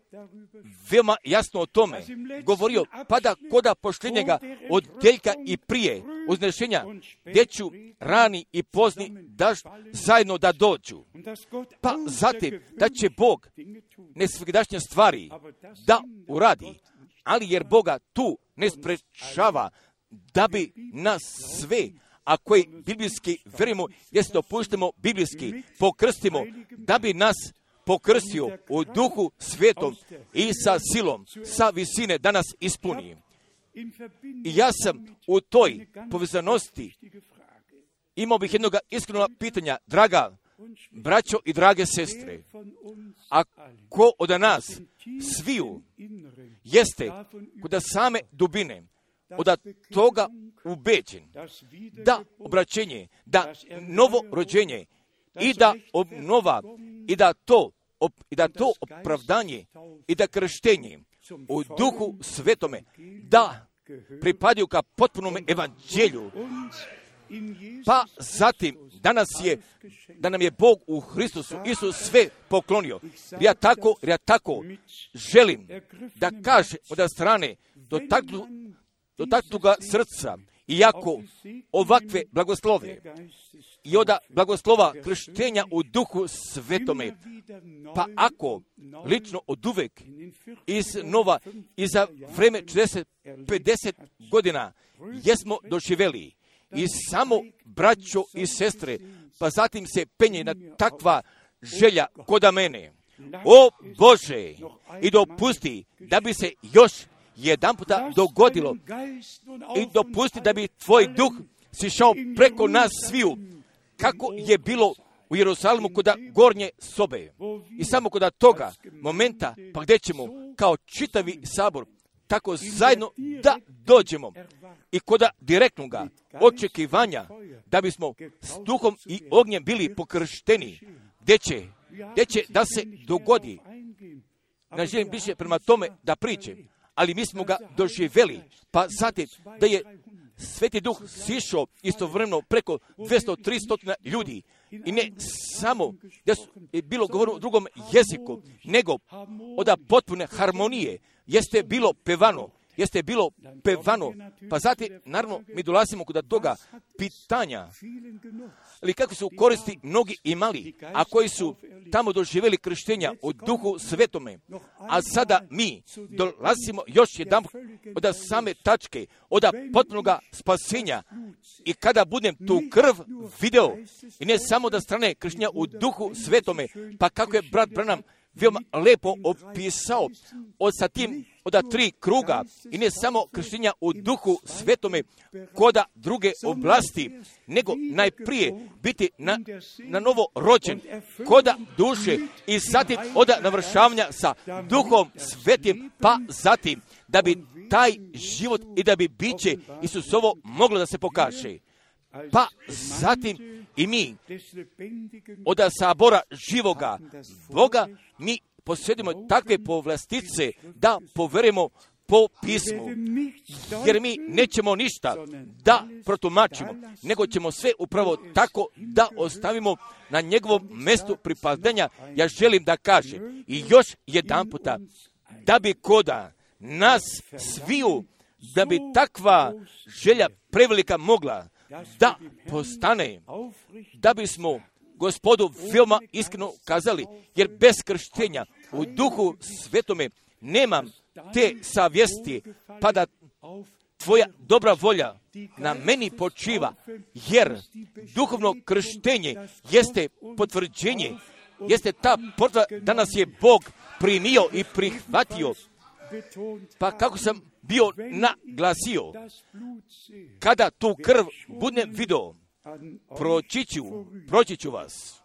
[SPEAKER 2] veoma jasno o tome govorio, pa da koda pošljenjega odjeljka i prije uznešenja, gdje ću rani i pozni dašt zajedno da dođu. Pa zatim, da će Bog nesvegdašnje stvari da uradi, ali jer Boga tu ne sprečava da bi nas sve, a koji biblijski verimo, gdje se dopuštamo biblijski, pokrstimo, da bi nas pokrstio u duhu svetom i sa silom, sa visine, da nas ispuni. I ja sam u toj povezanosti imao bih jednog iskrenog pitanja, draga braćo i drage sestre, a ko od nas sviju jeste kod same dubine, od toga ubeđen, da obraćenje, da novo rođenje i da obnova i da to, i da to opravdanje i da krštenje u duhu svetome, da pripadaju ka potpunome evanđelju. Pa zatim, danas je, da nam je Bog u Hristusu Isus sve poklonio. Ja tako, ja tako želim da kaže od strane dotaknu, dotaknuga srca, iako ovakve blagoslove i od blagoslova krštenja u duhu svetome, pa ako lično od uvek iz nova i za vreme četrdeset pedeset godina jesmo doživjeli i samo braćo i sestre, pa zatim se penje na takva želja koda mene. O Bože, i dopusti da bi se još jedan puta dogodilo i dopusti da bi tvoj duh sišao preko nas sviju, kako je bilo u Jerusalimu koda gornje sobe. I samo koda toga momenta, pa gdje ćemo kao čitavi sabor tako zajedno da dođemo i koda direktnoga očekivanja da bismo s duhom i ognjem bili pokršteni, gdje će, gdje će da se dogodi. Ne želim više prema tome da pričam, ali mi smo ga doživjeli, pa zatim da je Sveti Duh sišao istovremeno preko dvjesto do tristo ljudi. I ne samo da su bilo govoreno u drugom jeziku, nego od potpune harmonije jeste bilo pevano. Jeste bilo pevano. Pa zatim, naravno, mi dolazimo kod toga pitanja. Ali kako su koristi mnogi imali, a koji su tamo doživjeli krštenja u Duhu Svetome. A sada mi dolazimo još jedan od same tačke, od potpunoga spasenja. I kada budem tu krv video, i ne samo da strane krštenja u Duhu Svetome, pa kako je brat Branham veoma lepo opisao od sa tim od tri kruga i ne samo krštenja u Duhu Svetome koda druge oblasti, nego najprije biti na, na novo rođen koda duše i zatim od navršavanja sa Duhom Svetim, pa zatim da bi taj život i da bi biće Isusovo moglo da se pokaže. Pa zatim i mi od sabora živoga Boga mi posjedimo takve povlastice da poverujemo po pismu, jer mi nećemo ništa da protumačimo, nego ćemo sve upravo tako da ostavimo na njegovom mjestu pripadanja. Ja želim da kažem i još jedan puta, da bi koda nas sviju, da bi takva želja prevelika mogla da postane, da bismo Gospodu veoma iskreno kazali, jer bez krštenja u Duhu Svetome nemam te savjesti, pa da tvoja dobra volja na meni počiva, jer duhovno krštenje jeste potvrđenje, jeste ta potvrda da nas je Bog primio i prihvatio. Pa kako sam bio naglasio, kada tu krv budem video, proći ću, proći ću vas.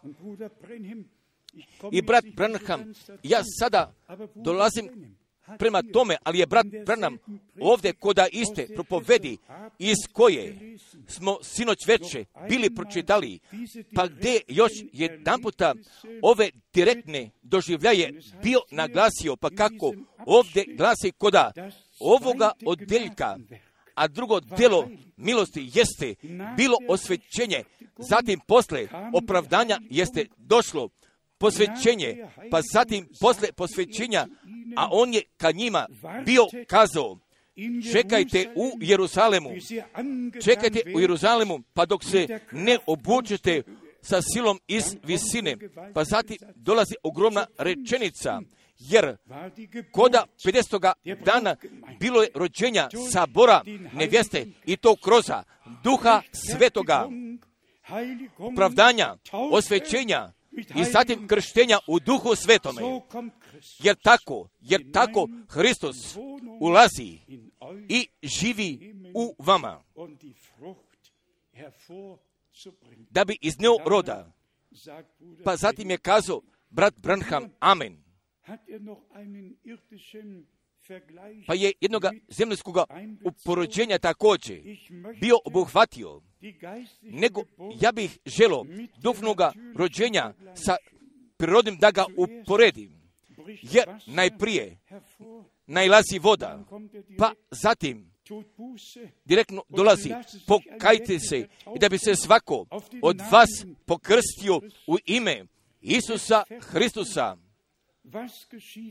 [SPEAKER 2] I brat Branham, ja sada dolazim prema tome, ali je brat Branham ovdje koda iste propovedi iz koje smo sinoć veče bili pročitali, pa gdje još jedan puta ove direktne doživljaje bio naglasio, pa kako ovdje glasi koda ovoga odjeljka, a drugo djelo milosti jeste bilo osvećenje, zatim posle opravdanja jeste došlo posvećenje, pa zatim posle posvećenja, a on je ka njima bio kazao, čekajte u Jeruzalemu, čekajte u Jeruzalemu, pa dok se ne obučete sa silom iz visine, pa zatim dolazi ogromna rečenica, jer koda pedesetoga dana bilo je rođenja sabora nevjeste i to kroz Duha Svetoga, opravdanja, osvećenja i zatim krštenja u Duhu Svetome. Jer tako, jer tako Hristos ulazi i živi u vama, da bi iznio roda. Pa zatim je kazao brat Branham, amen. Pa je jednoga zemljskoga uporođenja također bio obuhvatio, nego ja bih želio duhovnoga rođenja sa prirodnim da ga uporedim, jer najprije najlazi voda, pa zatim direktno dolazi, pokajte se i da bi se svako od vas pokrstio u ime Isusa Hristusa.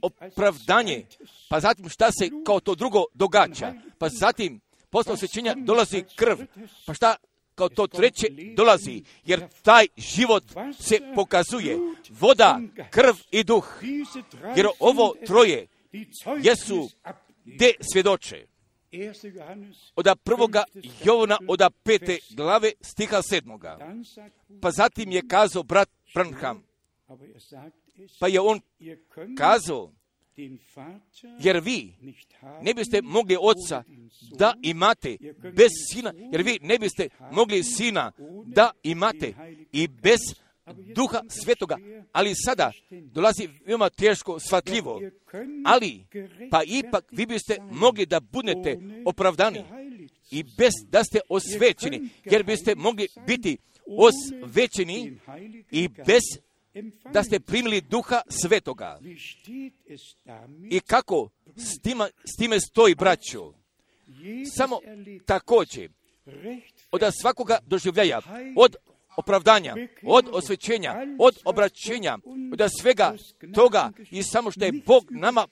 [SPEAKER 2] Opravdanje, pa zatim šta se kao to drugo događa, pa zatim posle osvećenja dolazi krv, pa šta kao to treće dolazi, jer taj život se pokazuje, voda, krv i duh, jer ovo troje jesu gde svjedoče. Od prvoga Jovana, od pete glave stiha sedmoga. Pa zatim je kazao brat Branham, pa je on kazao, jer vi ne biste mogli oca da imate bez sina, jer vi ne biste mogli sina da imate i bez Duha Svetoga, ali sada dolazi veoma teško shvatljivo, ali pa ipak vi biste mogli da budete opravdani i bez da ste osvećeni, jer biste mogli biti osvećeni i bez da ste primili Duha Svetoga. I kako s, tima, s time stoji, braćo? Samo također, od svakoga doživljaja, od opravdanja, od osvećenja, od obraćenja, od svega toga i samo što je Bog nama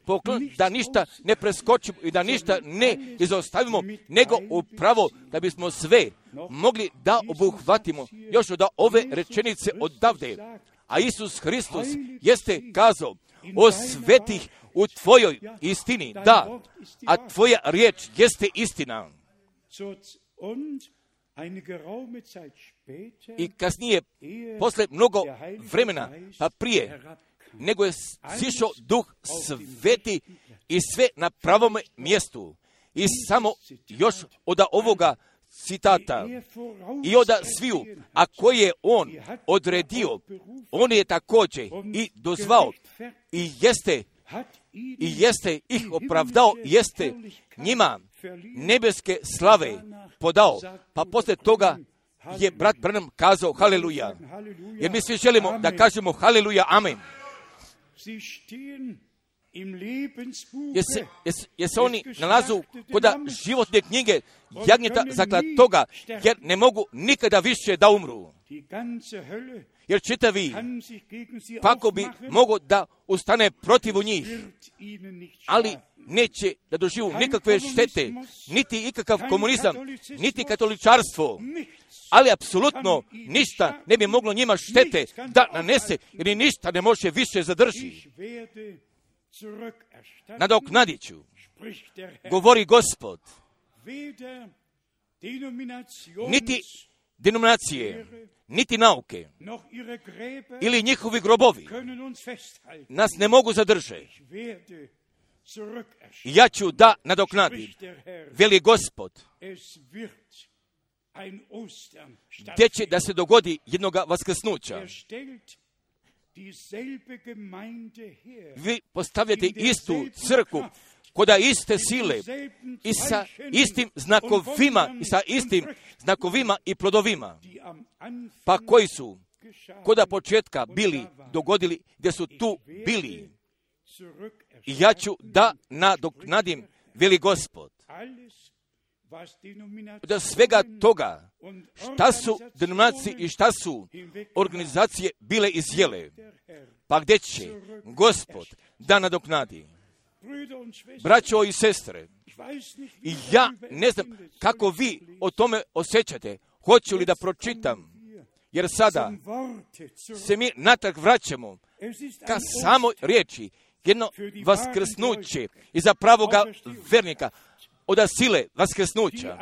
[SPEAKER 2] poklon, da ništa ne preskočimo i da ništa ne izostavimo, nego upravo da bismo sve mogli da obuhvatimo još od ove rečenice odavde. A Isus Hristos jeste kazao, osvetih u tvojoj istini, da, a tvoja riječ jeste istina. I kasnije, posle mnogo vremena, pa prije, nego je sišao Duh Sveti i sve na pravom mjestu. I samo još od ovoga citata i od sviju, a koje je on odredio, on je također i dozvao i jeste i jeste ih opravdao, jeste njima nebeske slave podao. Pa poslije toga je brat Branham kazao haleluja. Jer mi svi želimo da kažemo haleluja, amen. Jer se, jer, jer se oni nalazu kod životne knjige jagnjeta zaklatoga, jer ne mogu nikada više da umru. Jer čitavi pako bi mogo da ustane protiv njih, ali neće da doživu nikakve štete, niti ikakav komunizam, niti katoličarstvo, ali apsolutno ništa ne bi moglo njima štete da nanese, jer ni ništa ne može više zadrži. Nadoknadit ću, govori Gospod, niti denominacije, niti nauke, ili njihovi grobovi nas ne mogu zadržati. Ja ću da nadoknadim, veli Gospod, gdje će da se dogodi jednoga vaskrsnuća. Vi postavljate istu crkvu koda iste sile i sa istim znakovima i sa istim znakovima i plodovima, pa koji su koda početka bili dogodili, gdje su tu bili. I ja ću da nadoknadim, veli Gospod, od svega toga šta su denominacije i šta su organizacije bile izjele, pa gdje će Gospod da nadoknadi. Braćo i sestre, i ja ne znam kako vi o tome osjećate, hoću li da pročitam, jer sada se mi natrag vraćamo ka samoj riječi, jedno vaskrsnuće iza pravoga vernika, od sile vaskrsnuća,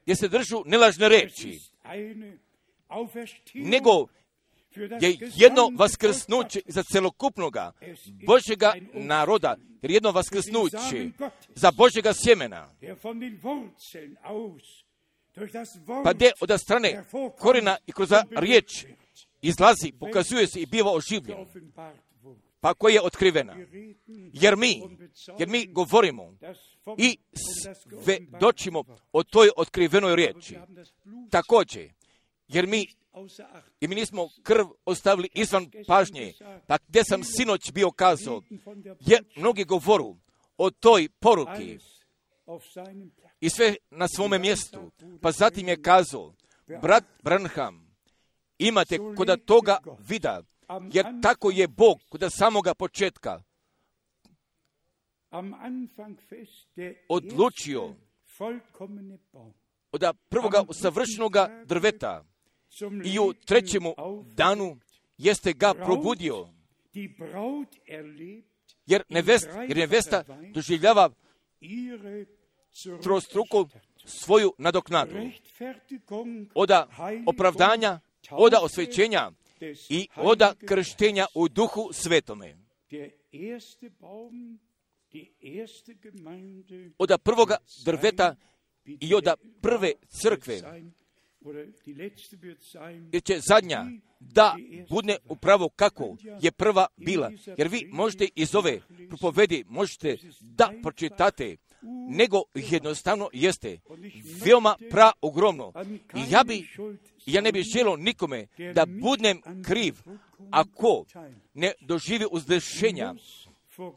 [SPEAKER 2] jer se držu nelažne reči, nego je jedno vaskrsnuće za celokupnoga Božjega naroda, jer jedno vaskrsnuće za Božjega sjemena, pa gdje od strane korena i kroz riječ izlazi, pokazuje se i biva oživljen, pa koja je otkrivena. Jer mi, jer mi govorimo i svedočimo o toj otkrivenoj riječi. Također, jer mi i mi nismo krv ostavili izvan pažnje, pa gdje sam sinoć bio kazao, jer mnogi govoru o toj poruki i sve na svome mjestu, pa zatim je kazao, brat Branham, imate kod toga vida, jer tako je Bog kod samoga početka odlučio od prvoga savršenoga drveta i u trećemu danu jeste ga probudio, jer nevesta, jer nevesta doživljava trostruku svoju nadoknadu od opravdanja, od osvećenja i od krštenja u Duhu Svetome. Od prvoga drveta i od prve crkve, jer će zadnja da bude upravo kako je prva bila. Jer vi možete iz ove propovedi, možete da pročitate, nego jednostavno jeste veoma praogromno. I ja bi, ja ne bih želio nikome da budem kriv ako ne doživi uzdešenja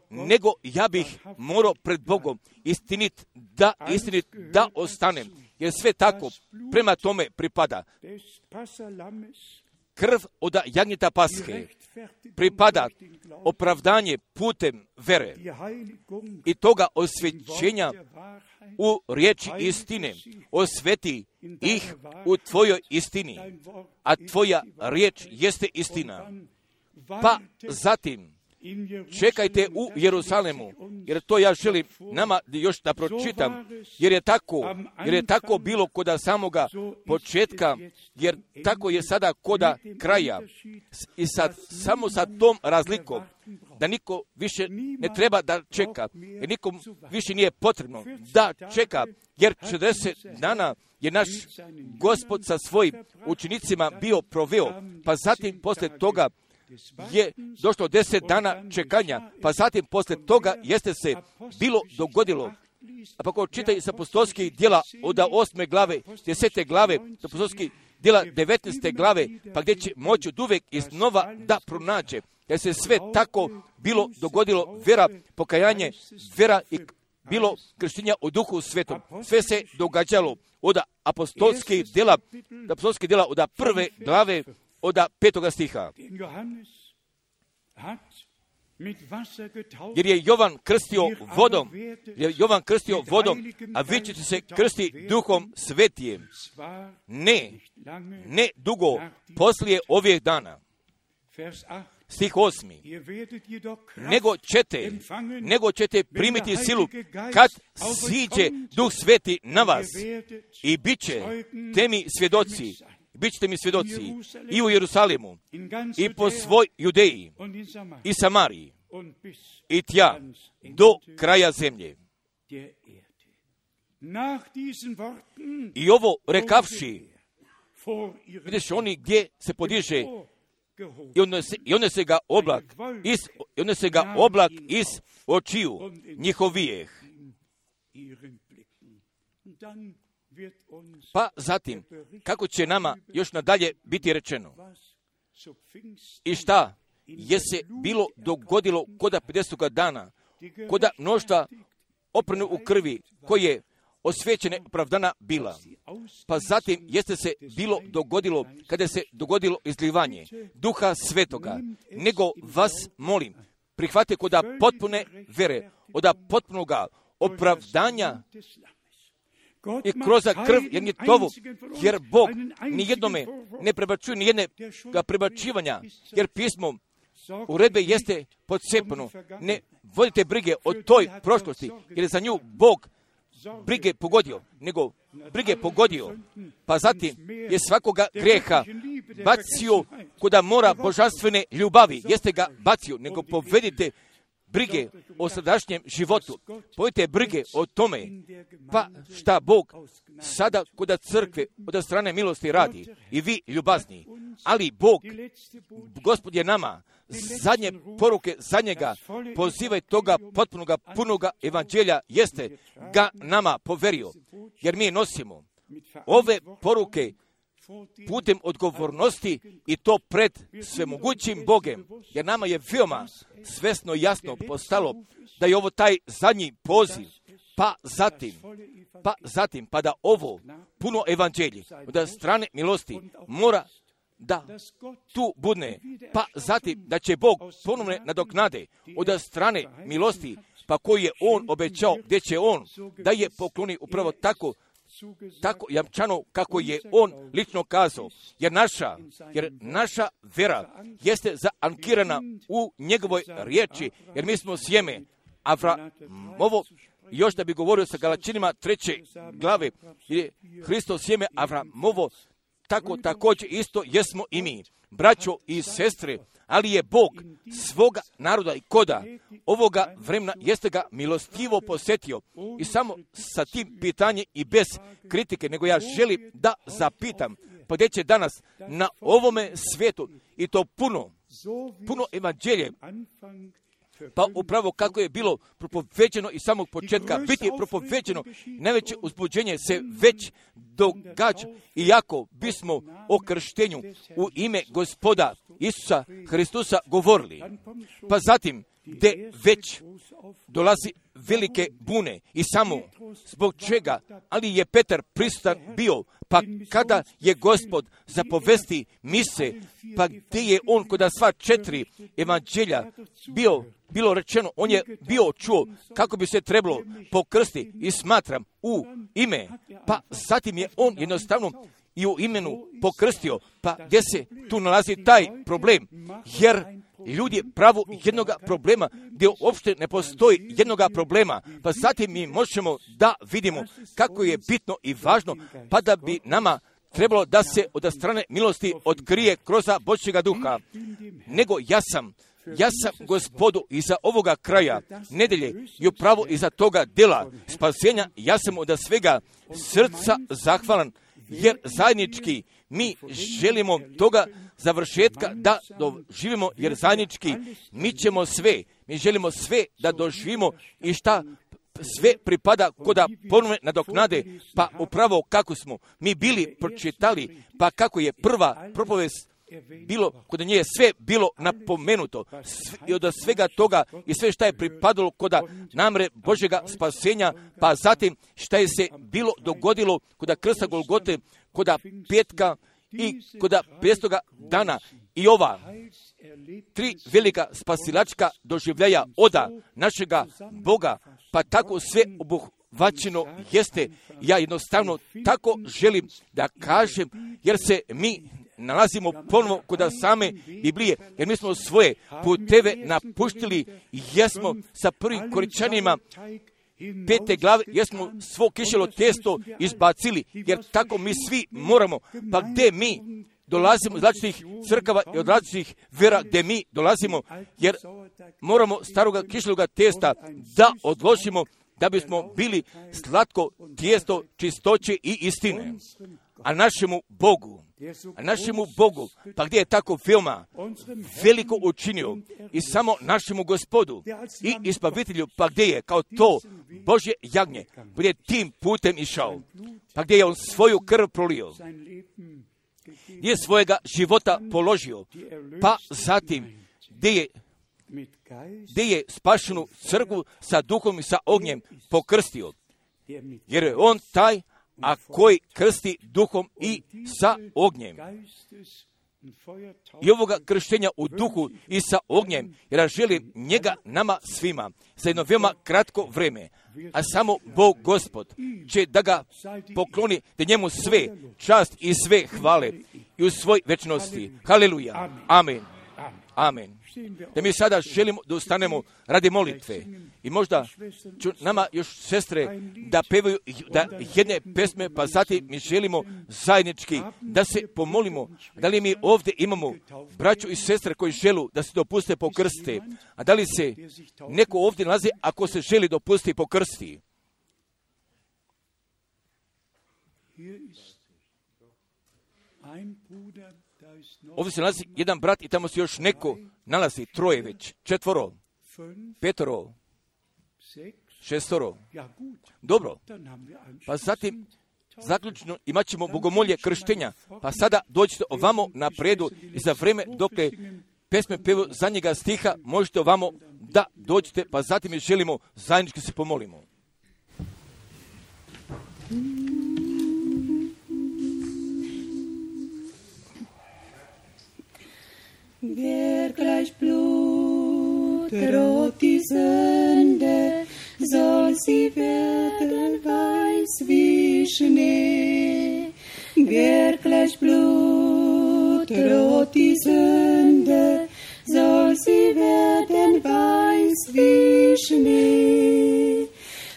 [SPEAKER 2] nego ja bih morao pred Bogom istinit da, istinit da ostanem, jer sve tako prema tome pripada. Krv od jagnjeta Pashe pripada opravdanje putem vere i toga osvećenja u riječi istine. Osveti ih u tvojoj istini, a tvoja riječ jeste istina. Pa zatim čekajte u Jerusalemu, jer to ja želim nama još da pročitam, jer je tako, jer je tako bilo koda samoga početka, jer tako je sada koda kraja. I sad, samo sa tom razlikom, da niko više ne treba da čeka, jer nikom više nije potrebno da čeka, jer četrdeset dana je naš Gospod sa svojim učenicima bio proveo, pa zatim posle toga je došlo deset dana čekanja, pa zatim posle toga jeste se bilo dogodilo. A pa ko čitaj sa apostolskih djela od osme glave, desete glave, sa apostolskih djela devetnaeste glave, pa gdje će moći od uvek iznova da pronađe. Jer se sve tako bilo dogodilo, vera, pokajanje, vera i bilo krštenja u Duhu Svetom. Sve se događalo od apostolskih djela, apostolskih djela od prve glave, od petoga stiha. Jer je Jovan krstio vodom, jer je Jovan krstio vodom, a vi ćete se krsti Duhom Svetijem. Ne, ne dugo poslije ovih dana. Stih osmi. Nego ćete, nego ćete primiti silu kad siđe Duh Sveti na vas i bit će temi svjedoci. Bićete mi svjedoci i u Jerusalimu, i po svoj Judeji, i Samariji, i tja, do kraja zemlje. I ovo rekavši, vidiš oni gdje se podiže, i odnese, i odnese ga oblak, iz, i odnese ga oblak iz očiju njihovijeh. Pa zatim, kako će nama još nadalje biti rečeno? I šta je se bilo dogodilo koda pedesetoga dana, koda mnoštva oprane u krvi, koje osvećene opravdana bila. Pa zatim jeste se bilo dogodilo, kada se dogodilo izlivanje Duha Svetoga, nego vas molim, prihvate koda potpune vere, od potpunoga opravdanja i kroz krv Jagnjetovu, jer Bog nijednome ne prebačuje nijedne prebačivanja, jer pismo uredbe jeste podsjepano. Ne vodite brige o toj prošlosti, jer je za nju Bog brige pogodio, nego brige pogodio, pa zatim je svakoga grijeha bacio kuda mora božanstvene ljubavi, jeste ga bacio, nego povedite brige o sadašnjem životu, povedite brige o tome, pa šta Bog sada kuda crkve od strane milosti radi, i vi ljubazni, ali Bog, Gospod je nama zadnje poruke za njega, pozivaj toga potpunoga, punoga evanđelja, jeste ga nama poverio, jer mi nosimo ove poruke putem odgovornosti i to pred svemogućim Bogem, jer nama je veoma svesno jasno postalo da je ovo taj zadnji poziv, pa zatim, pa zatim, pa da ovo puno evanđelje od strane milosti mora da tu budne, pa zatim da će Bog ponovne nadoknade od strane milosti, pa koji je On obećao, gdje će On da je pokloni upravo tako, tako jamčano kako je On lično kazao, jer naša, jer naša vera jeste zaankirana u njegovoj riječi, jer mi smo sjeme Avramovo. Još da bi govorio sa Galačanima treće glave, je Hristo sjeme Avramovo, tako također isto jesmo i mi, braćo i sestre, ali je Bog svoga naroda i koda ovoga vremena jeste ga milostivo posjetio. I samo sa tim pitanjem i bez kritike, nego ja želim da zapitam, pa gdje će danas na ovome svijetu i to puno, puno evanđelje, pa upravo kako je bilo propoveđeno iz samog početka, biti propoveđeno, najveće uzbuđenje se već događa, iako bismo o krštenju u ime Gospoda Isusa Hristusa govorili. Pa zatim gdje već dolazi velike bune i samo zbog čega, ali je Petar prisutan bio, pa kada je Gospod zapovesti mise, pa gdje je on kod sva četiri evanđelja bio, bilo rečeno, on je bio čuo kako bi se trebalo pokrsti i smatram u ime, pa zatim je on jednostavno i u imenu pokrstio, pa gdje se tu nalazi taj problem, jer ljudi pravu jednoga problema, gdje uopšte ne postoji jednoga problema, pa zatim mi možemo da vidimo kako je bitno i važno, pa da bi nama trebalo da se od strane milosti otkrije kroz Božjega duha, nego ja sam, ja sam Gospodu iza ovoga kraja nedelje i upravo iza toga dela spasenja, ja sam od svega srca zahvalan, jer zajednički mi želimo toga završetka da doživimo, jer zajednički mi ćemo sve, mi želimo sve da doživimo i šta sve pripada koda ponovne nadoknade, pa upravo kako smo mi bili pročitali, pa kako je prva propovest bilo, kod nje je sve bilo napomenuto i od svega toga i sve šta je pripadalo koda namre Božjega spasenja, pa zatim šta je se bilo dogodilo koda krsta Golgote, koda petka i koda pestoga dana i ova tri velika spasilačka doživljaja oda našega Boga, pa tako sve obuhvaćeno jeste. Ja jednostavno tako želim da kažem, jer se mi nalazimo ponovo kod same Biblije, jer mi smo svoje puteve napuštili i jesmo sa prvim Koričanima pete glave, jesmo svo kišelo testo izbacili, jer tako mi svi moramo, pa gdje mi dolazimo iz različitih crkava i od različitih vera gdje mi dolazimo, jer moramo staroga kišeloga testa da odložimo, da bismo bili slatko tijesto čistoće i istine. A našemu Bogu, a našemu Bogu, pa gdje je tako veoma veliko učinio i samo našemu Gospodu i Izbavitelju, pa gdje je kao to Božje jagnje, gdje je tim putem išao, pa gdje je on svoju krv prolio, gdje je svojega života položio, pa zatim gdje je gdje je spašenu crkvu sa duhom i sa ognjem pokrstio, jer je on taj, a koji krsti duhom i sa ognjem. I ovoga krštenja u duhu i sa ognjem, jer ja želim njega nama svima za jedno veoma kratko vreme, a samo Bog Gospod će da ga pokloni, da njemu sve čast i sve hvale i u svoj večnosti. Haleluja. Amen. Amen. Da mi sada želimo da ustanemo radi molitve i možda ću nama još sestre da pevaju da jedne pesme, pa zatim mi želimo zajednički da se pomolimo. Da li mi ovdje imamo braću i sestre koji želu da se dopuste pokrste, a da li se neko ovdje nalazi ako se želi dopustiti pokrsti? Ovdje se nalazi jedan brat i tamo se još neko nalazi, troje već, četvoro, petoro, šestoro. Dobro, pa zatim zaključno imat ćemo bogomolje krštenja, pa sada dođite ovamo napredu i za vreme dok pesme pevu zadnjega stiha možete ovamo da dođete, pa zatim mi želimo zajednički se pomolimo.
[SPEAKER 1] Wer gleich Blut rot die Sünde, soll sie werden weiß wie Schnee. Wer gleich Blut rot die Sünde, soll sie werden weiß wie Schnee.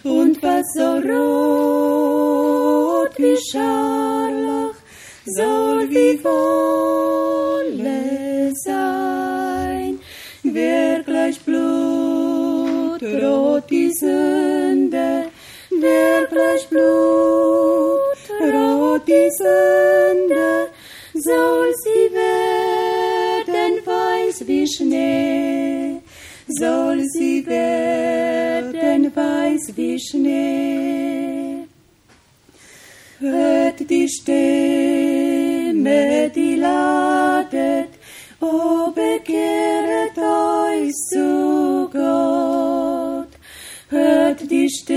[SPEAKER 1] Und was so rot wie Scharlach, soll wie Wolle sein. Wer gleich Blut rot die Sünde, wer gleich Blut rot die Sünde, soll sie werden weiß wie Schnee, soll sie werden weiß wie Schnee. Hört die Stimme, die ladet, o bekehret euch zu Gott. hört die Stimme,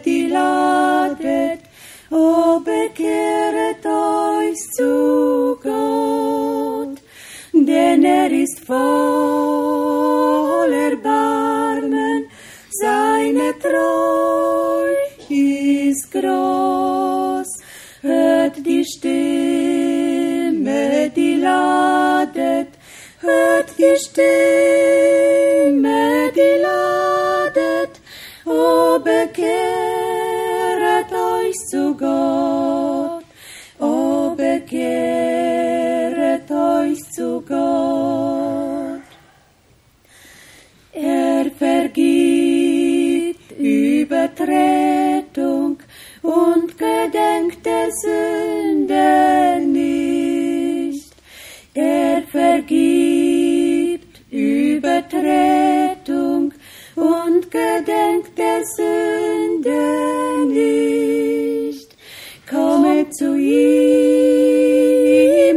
[SPEAKER 1] die ladet, o bekehret euch zu Gott, denn er ist voll Erbarmen, seine Treu ist groß. Hört die Stimme, die ladet, hört die Stimme, die ladet, o bekehret euch zu Gott, o bekehret euch zu Gott. Er vergibt Übertretung und gedenkt der Sünde nicht. Er vergibt Übertretung und gedenkt der Sünde nicht. Kommet zu ihm,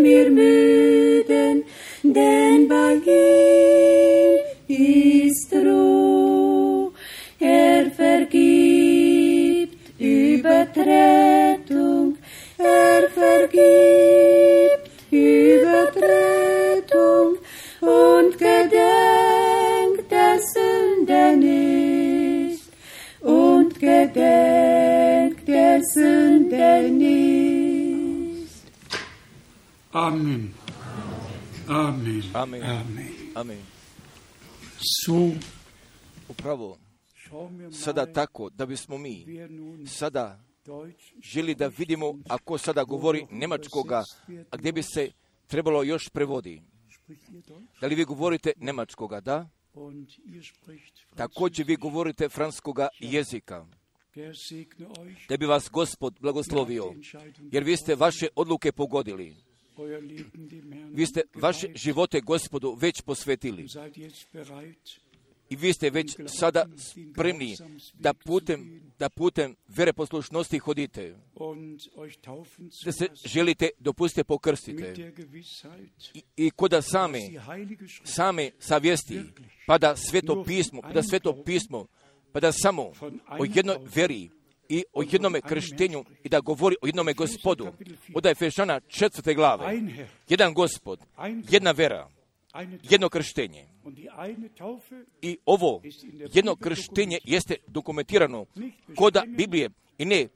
[SPEAKER 1] ihr Müden, denn bei ihm ist Ruhe. Er vergibt Übertretung, er vergibt Übertretung und gedenkt der Sünde nicht, und gedenkt der Sünde nicht.
[SPEAKER 3] Amen. Amen.
[SPEAKER 2] Amen.
[SPEAKER 3] Amen.
[SPEAKER 2] Amen.
[SPEAKER 3] So,
[SPEAKER 2] Upravo, sada tako da bismo mi sada želi da vidimo ako sada govori njemačkoga, a gdje bi se trebalo još prevodi. Da li vi govorite njemačkoga, da? Također vi govorite francuskoga jezika. Da bi vas Gospod blagoslovio, jer vi ste vaše odluke pogodili. Vi ste vaše živote Gospodu već posvetili. I vi ste već sada spremni da putem, da putem vere poslušnosti hodite. Da se želite, dopustite, pokrstite. I, i koda same, same savjesti, pa da sveto pismo, pa da sveto pismo, pa da samo o jednoj veri i o jednome krštenju i da govori o jednome Gospodu. Od Efešana četvrte glave. Jedan Gospod, jedna vera, jedno krštenje. I ovo jedno krštenje jeste dokumentirano koda Biblije i ne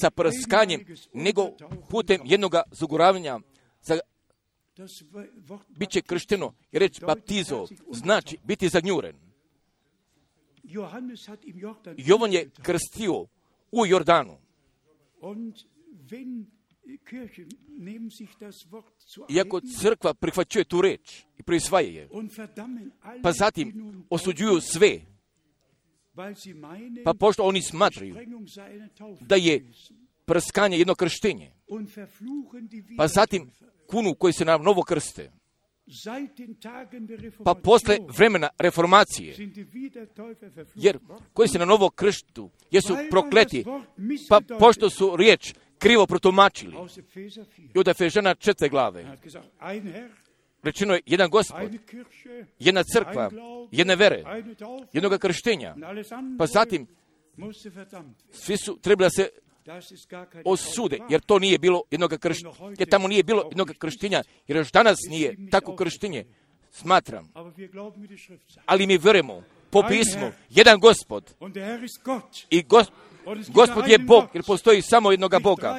[SPEAKER 2] sa prskanjem, nego putem jednoga zaguravanja za bit će kršteno. I reč baptizo znači biti zagnjuren. Jovan je krstio u Jordanu. Iako crkva prihvaćuje tu reč i prisvaja je, pa zatim osuđuju sve, pa pošto oni smatraju da je prskanje jedno krštenje, pa zatim kunu koji se na novo krste, pa posle vremena reformacije, jer koji se na novo krštu jesu prokleti, pa pošto su riječ krivo protumačili. I od Efežana četvrte glave rečeno je jedan Gospod, jedna crkva, jedne vere, jednoga krštenja. Pa zatim svi su trebali da se osude, jer to nije bilo jednog krštenja, jer tamo nije bilo jednog krštenja, jer još danas nije tako krštenje, smatram. Ali mi verujemo po pismu, jedan Gospod i Gos, Gospod je Bog, jer postoji samo jednoga Boga,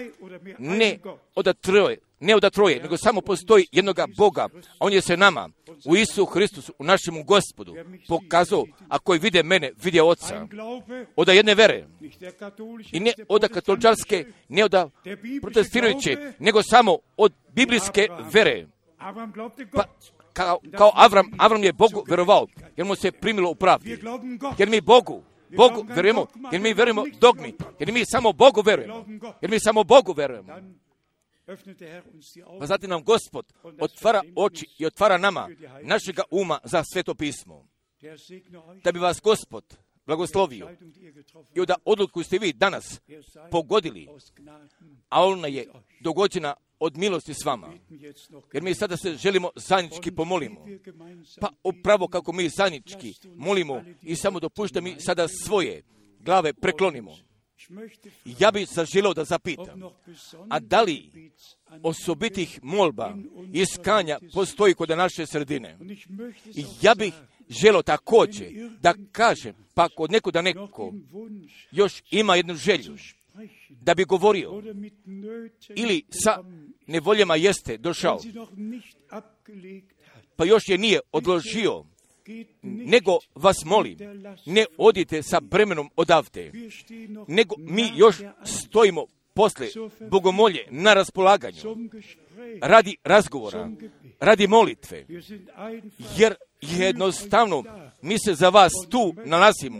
[SPEAKER 2] ne od troje, ne od troje, nego samo postoji jednoga Boga, a On je se nama, u Isu Hristusu, u našemu Gospodu, pokazao, a koji vide mene, vide Oca, od jedne vere, i ne od katoličarske, ne od protestirajuće, nego samo od biblijske vere. Pa, kao, kao Avram, Avram je Bogu verovao, jer mu se primilo u pravdi, jer mi Bogu, Bogu verujemo, jer mi verujemo dogmi, jer mi samo Bogu verujemo, jer mi samo Bogu verujemo. Pa zatim nam Gospod otvara oči i otvara nama, našega uma za sveto pismo. Da bi vas Gospod blagoslovio. I onda odluku ste vi danas pogodili, a ona je dogođena od milosti s vama. Jer mi sada se želimo zajednički pomolimo. Pa upravo kako mi zajednički molimo i samo dopušta mi sada svoje glave preklonimo. Ja bih zaželio da zapitam, a da li osobitih molba i iskanja postoji kod naše sredine? I ja bih želio također da kažem, pa kod neko da neko još ima jednu želju da bi govorio ili sa nevoljama jeste došao, pa još je nije odložio, nego vas molim, ne odite sa bremenom odavde, nego mi još stojimo posle bogomolje na raspolaganju, radi razgovora, radi molitve, jer jednostavno mi se za vas tu nalazimo,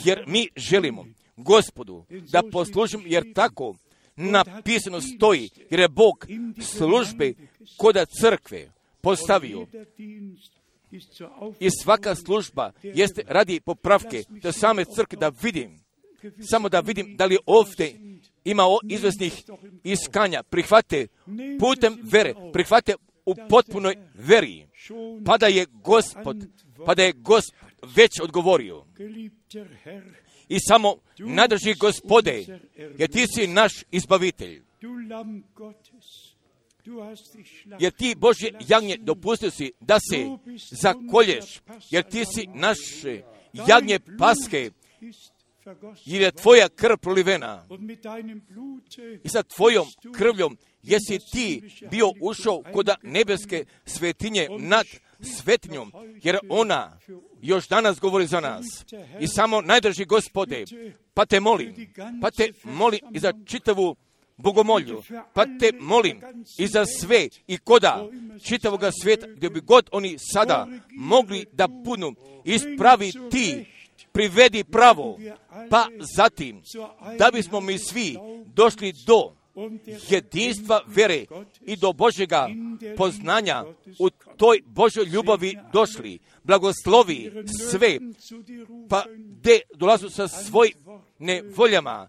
[SPEAKER 2] jer mi želimo Gospodu da poslužimo, jer tako napisano stoji, jer je Bog službe koda crkve postavio. I svaka služba jeste radi popravke da same crkve, da vidim, samo da vidim da li ovdje ima izvesnih iskanja, prihvate putem vere, prihvate u potpunoj veri, pa da je Gospod, pa da je Gospod već odgovorio. I samo nadrži Gospode, jer ti si naš izbavitelj. Jer ti, Božje jagnje, dopustio si da se zakolješ, jer ti si naše jagnje paske, jer je tvoja krv prolivena. I sa tvojom krvljom jesi ti bio ušao kod nebeske svetinje nad svetinjom, jer ona još danas govori za nas. I samo najdrži Gospode, pa te molim, pa te molim i za čitavu bogomolju, pa te molim i za sve i koda čitavoga svijeta, gdje bi god oni sada mogli da budu ispravi ti, privedi pravo, pa zatim da bismo mi svi došli do jedinstva vere i do Božjega poznanja u toj Božoj ljubavi došli. Blagoslovi sve, pa gdje dolazu sa svojim nevoljama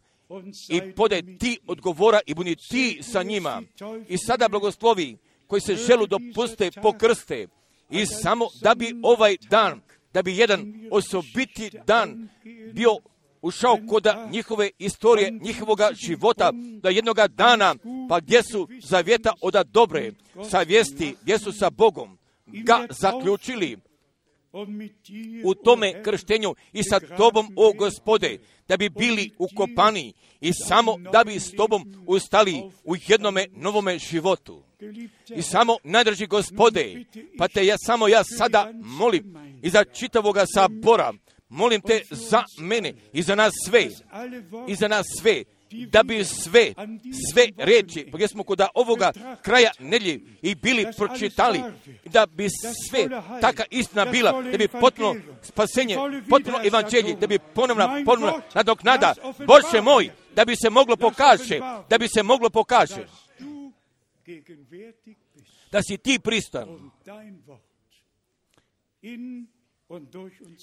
[SPEAKER 2] i podaj ti odgovora i budi ti sa njima. I sada blagoslovi koji se želu dopuste pokrste i samo da bi ovaj dan, da bi jedan osobiti dan bio ušao kod njihove istorije, njihovoga života, da jednoga dana, pa gdje su zavjeta oda dobre, savjesti, gdje su sa Bogom ga zaključili u tome krštenju i sa tobom, o Gospode, da bi bili ukopani i samo da bi s tobom ustali u jednome novome životu. I samo najdrži Gospode, pa te ja samo ja sada molim i za čitavoga sabora, molim te za mene i za nas sve, i za nas sve, da bi sve, sve reči, gdje smo kod ovoga kraja nedjelje i bili pročitali, da bi sve taka istina bila, da bi potpuno spasenje, potpuno evanđelje, da bi ponovna, ponovna nadoknada, Bože moj, da bi se moglo pokaže, da bi se moglo pokaže, da si ti pristan,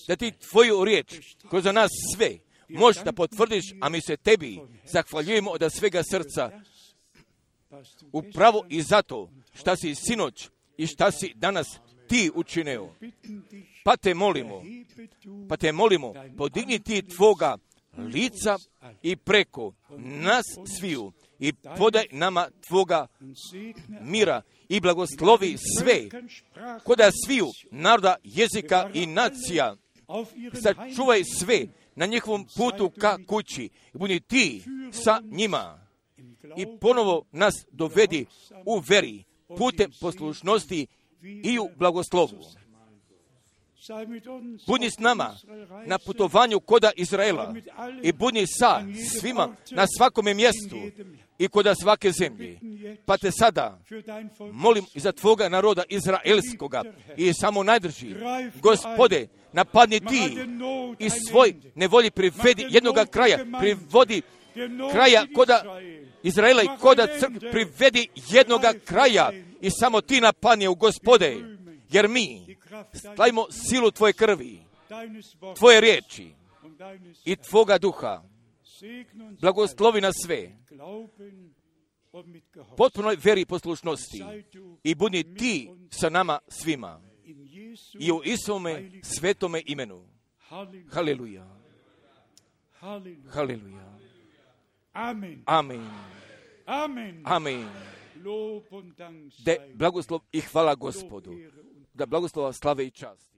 [SPEAKER 2] da ti tvoju riječ, kroz nas sve, možeš da potvrdiš, a mi se tebi zahvaljujemo od svega srca. Upravo i zato šta si sinoć i šta si danas ti učinio. Pa te molimo, pa te molimo, podigni ti tvoga lica i preko nas sviju i podaj nama tvoga mira i blagoslovi sve, koda sviju naroda, jezika i nacija, sačuvaj sve na njihovom putu ka kući i budi ti sa njima i ponovo nas dovedi u veri putem poslušnosti i u blagoslovu. Budi s nama na putovanju koda Izraela i budi sa svima na svakome mjestu i koda svake zemlje. Pa te sada molim i za tvoga naroda izraelskoga i samo najdrži, Gospode, napadni ti i svoj nevolji privedi jednoga kraja, privodi kraja koda Izraela i koda crkve, privedi jednoga kraja i samo ti napadni u Gospode, jer mi stavimo silu tvoje krvi, tvoje riječi i Tvoga duha blagoslovi nas sve, potpunoj veri i poslušnosti i budi Ti sa nama svima i u Isuvome svetome imenu. Haleluja. Haleluja.
[SPEAKER 3] Amen.
[SPEAKER 2] Amen.
[SPEAKER 3] Amen.
[SPEAKER 2] Amen.
[SPEAKER 3] Lob und Dank
[SPEAKER 2] Da
[SPEAKER 3] sei
[SPEAKER 2] blagoslov i hvala Gospodu. Da blagoslova slave i čast.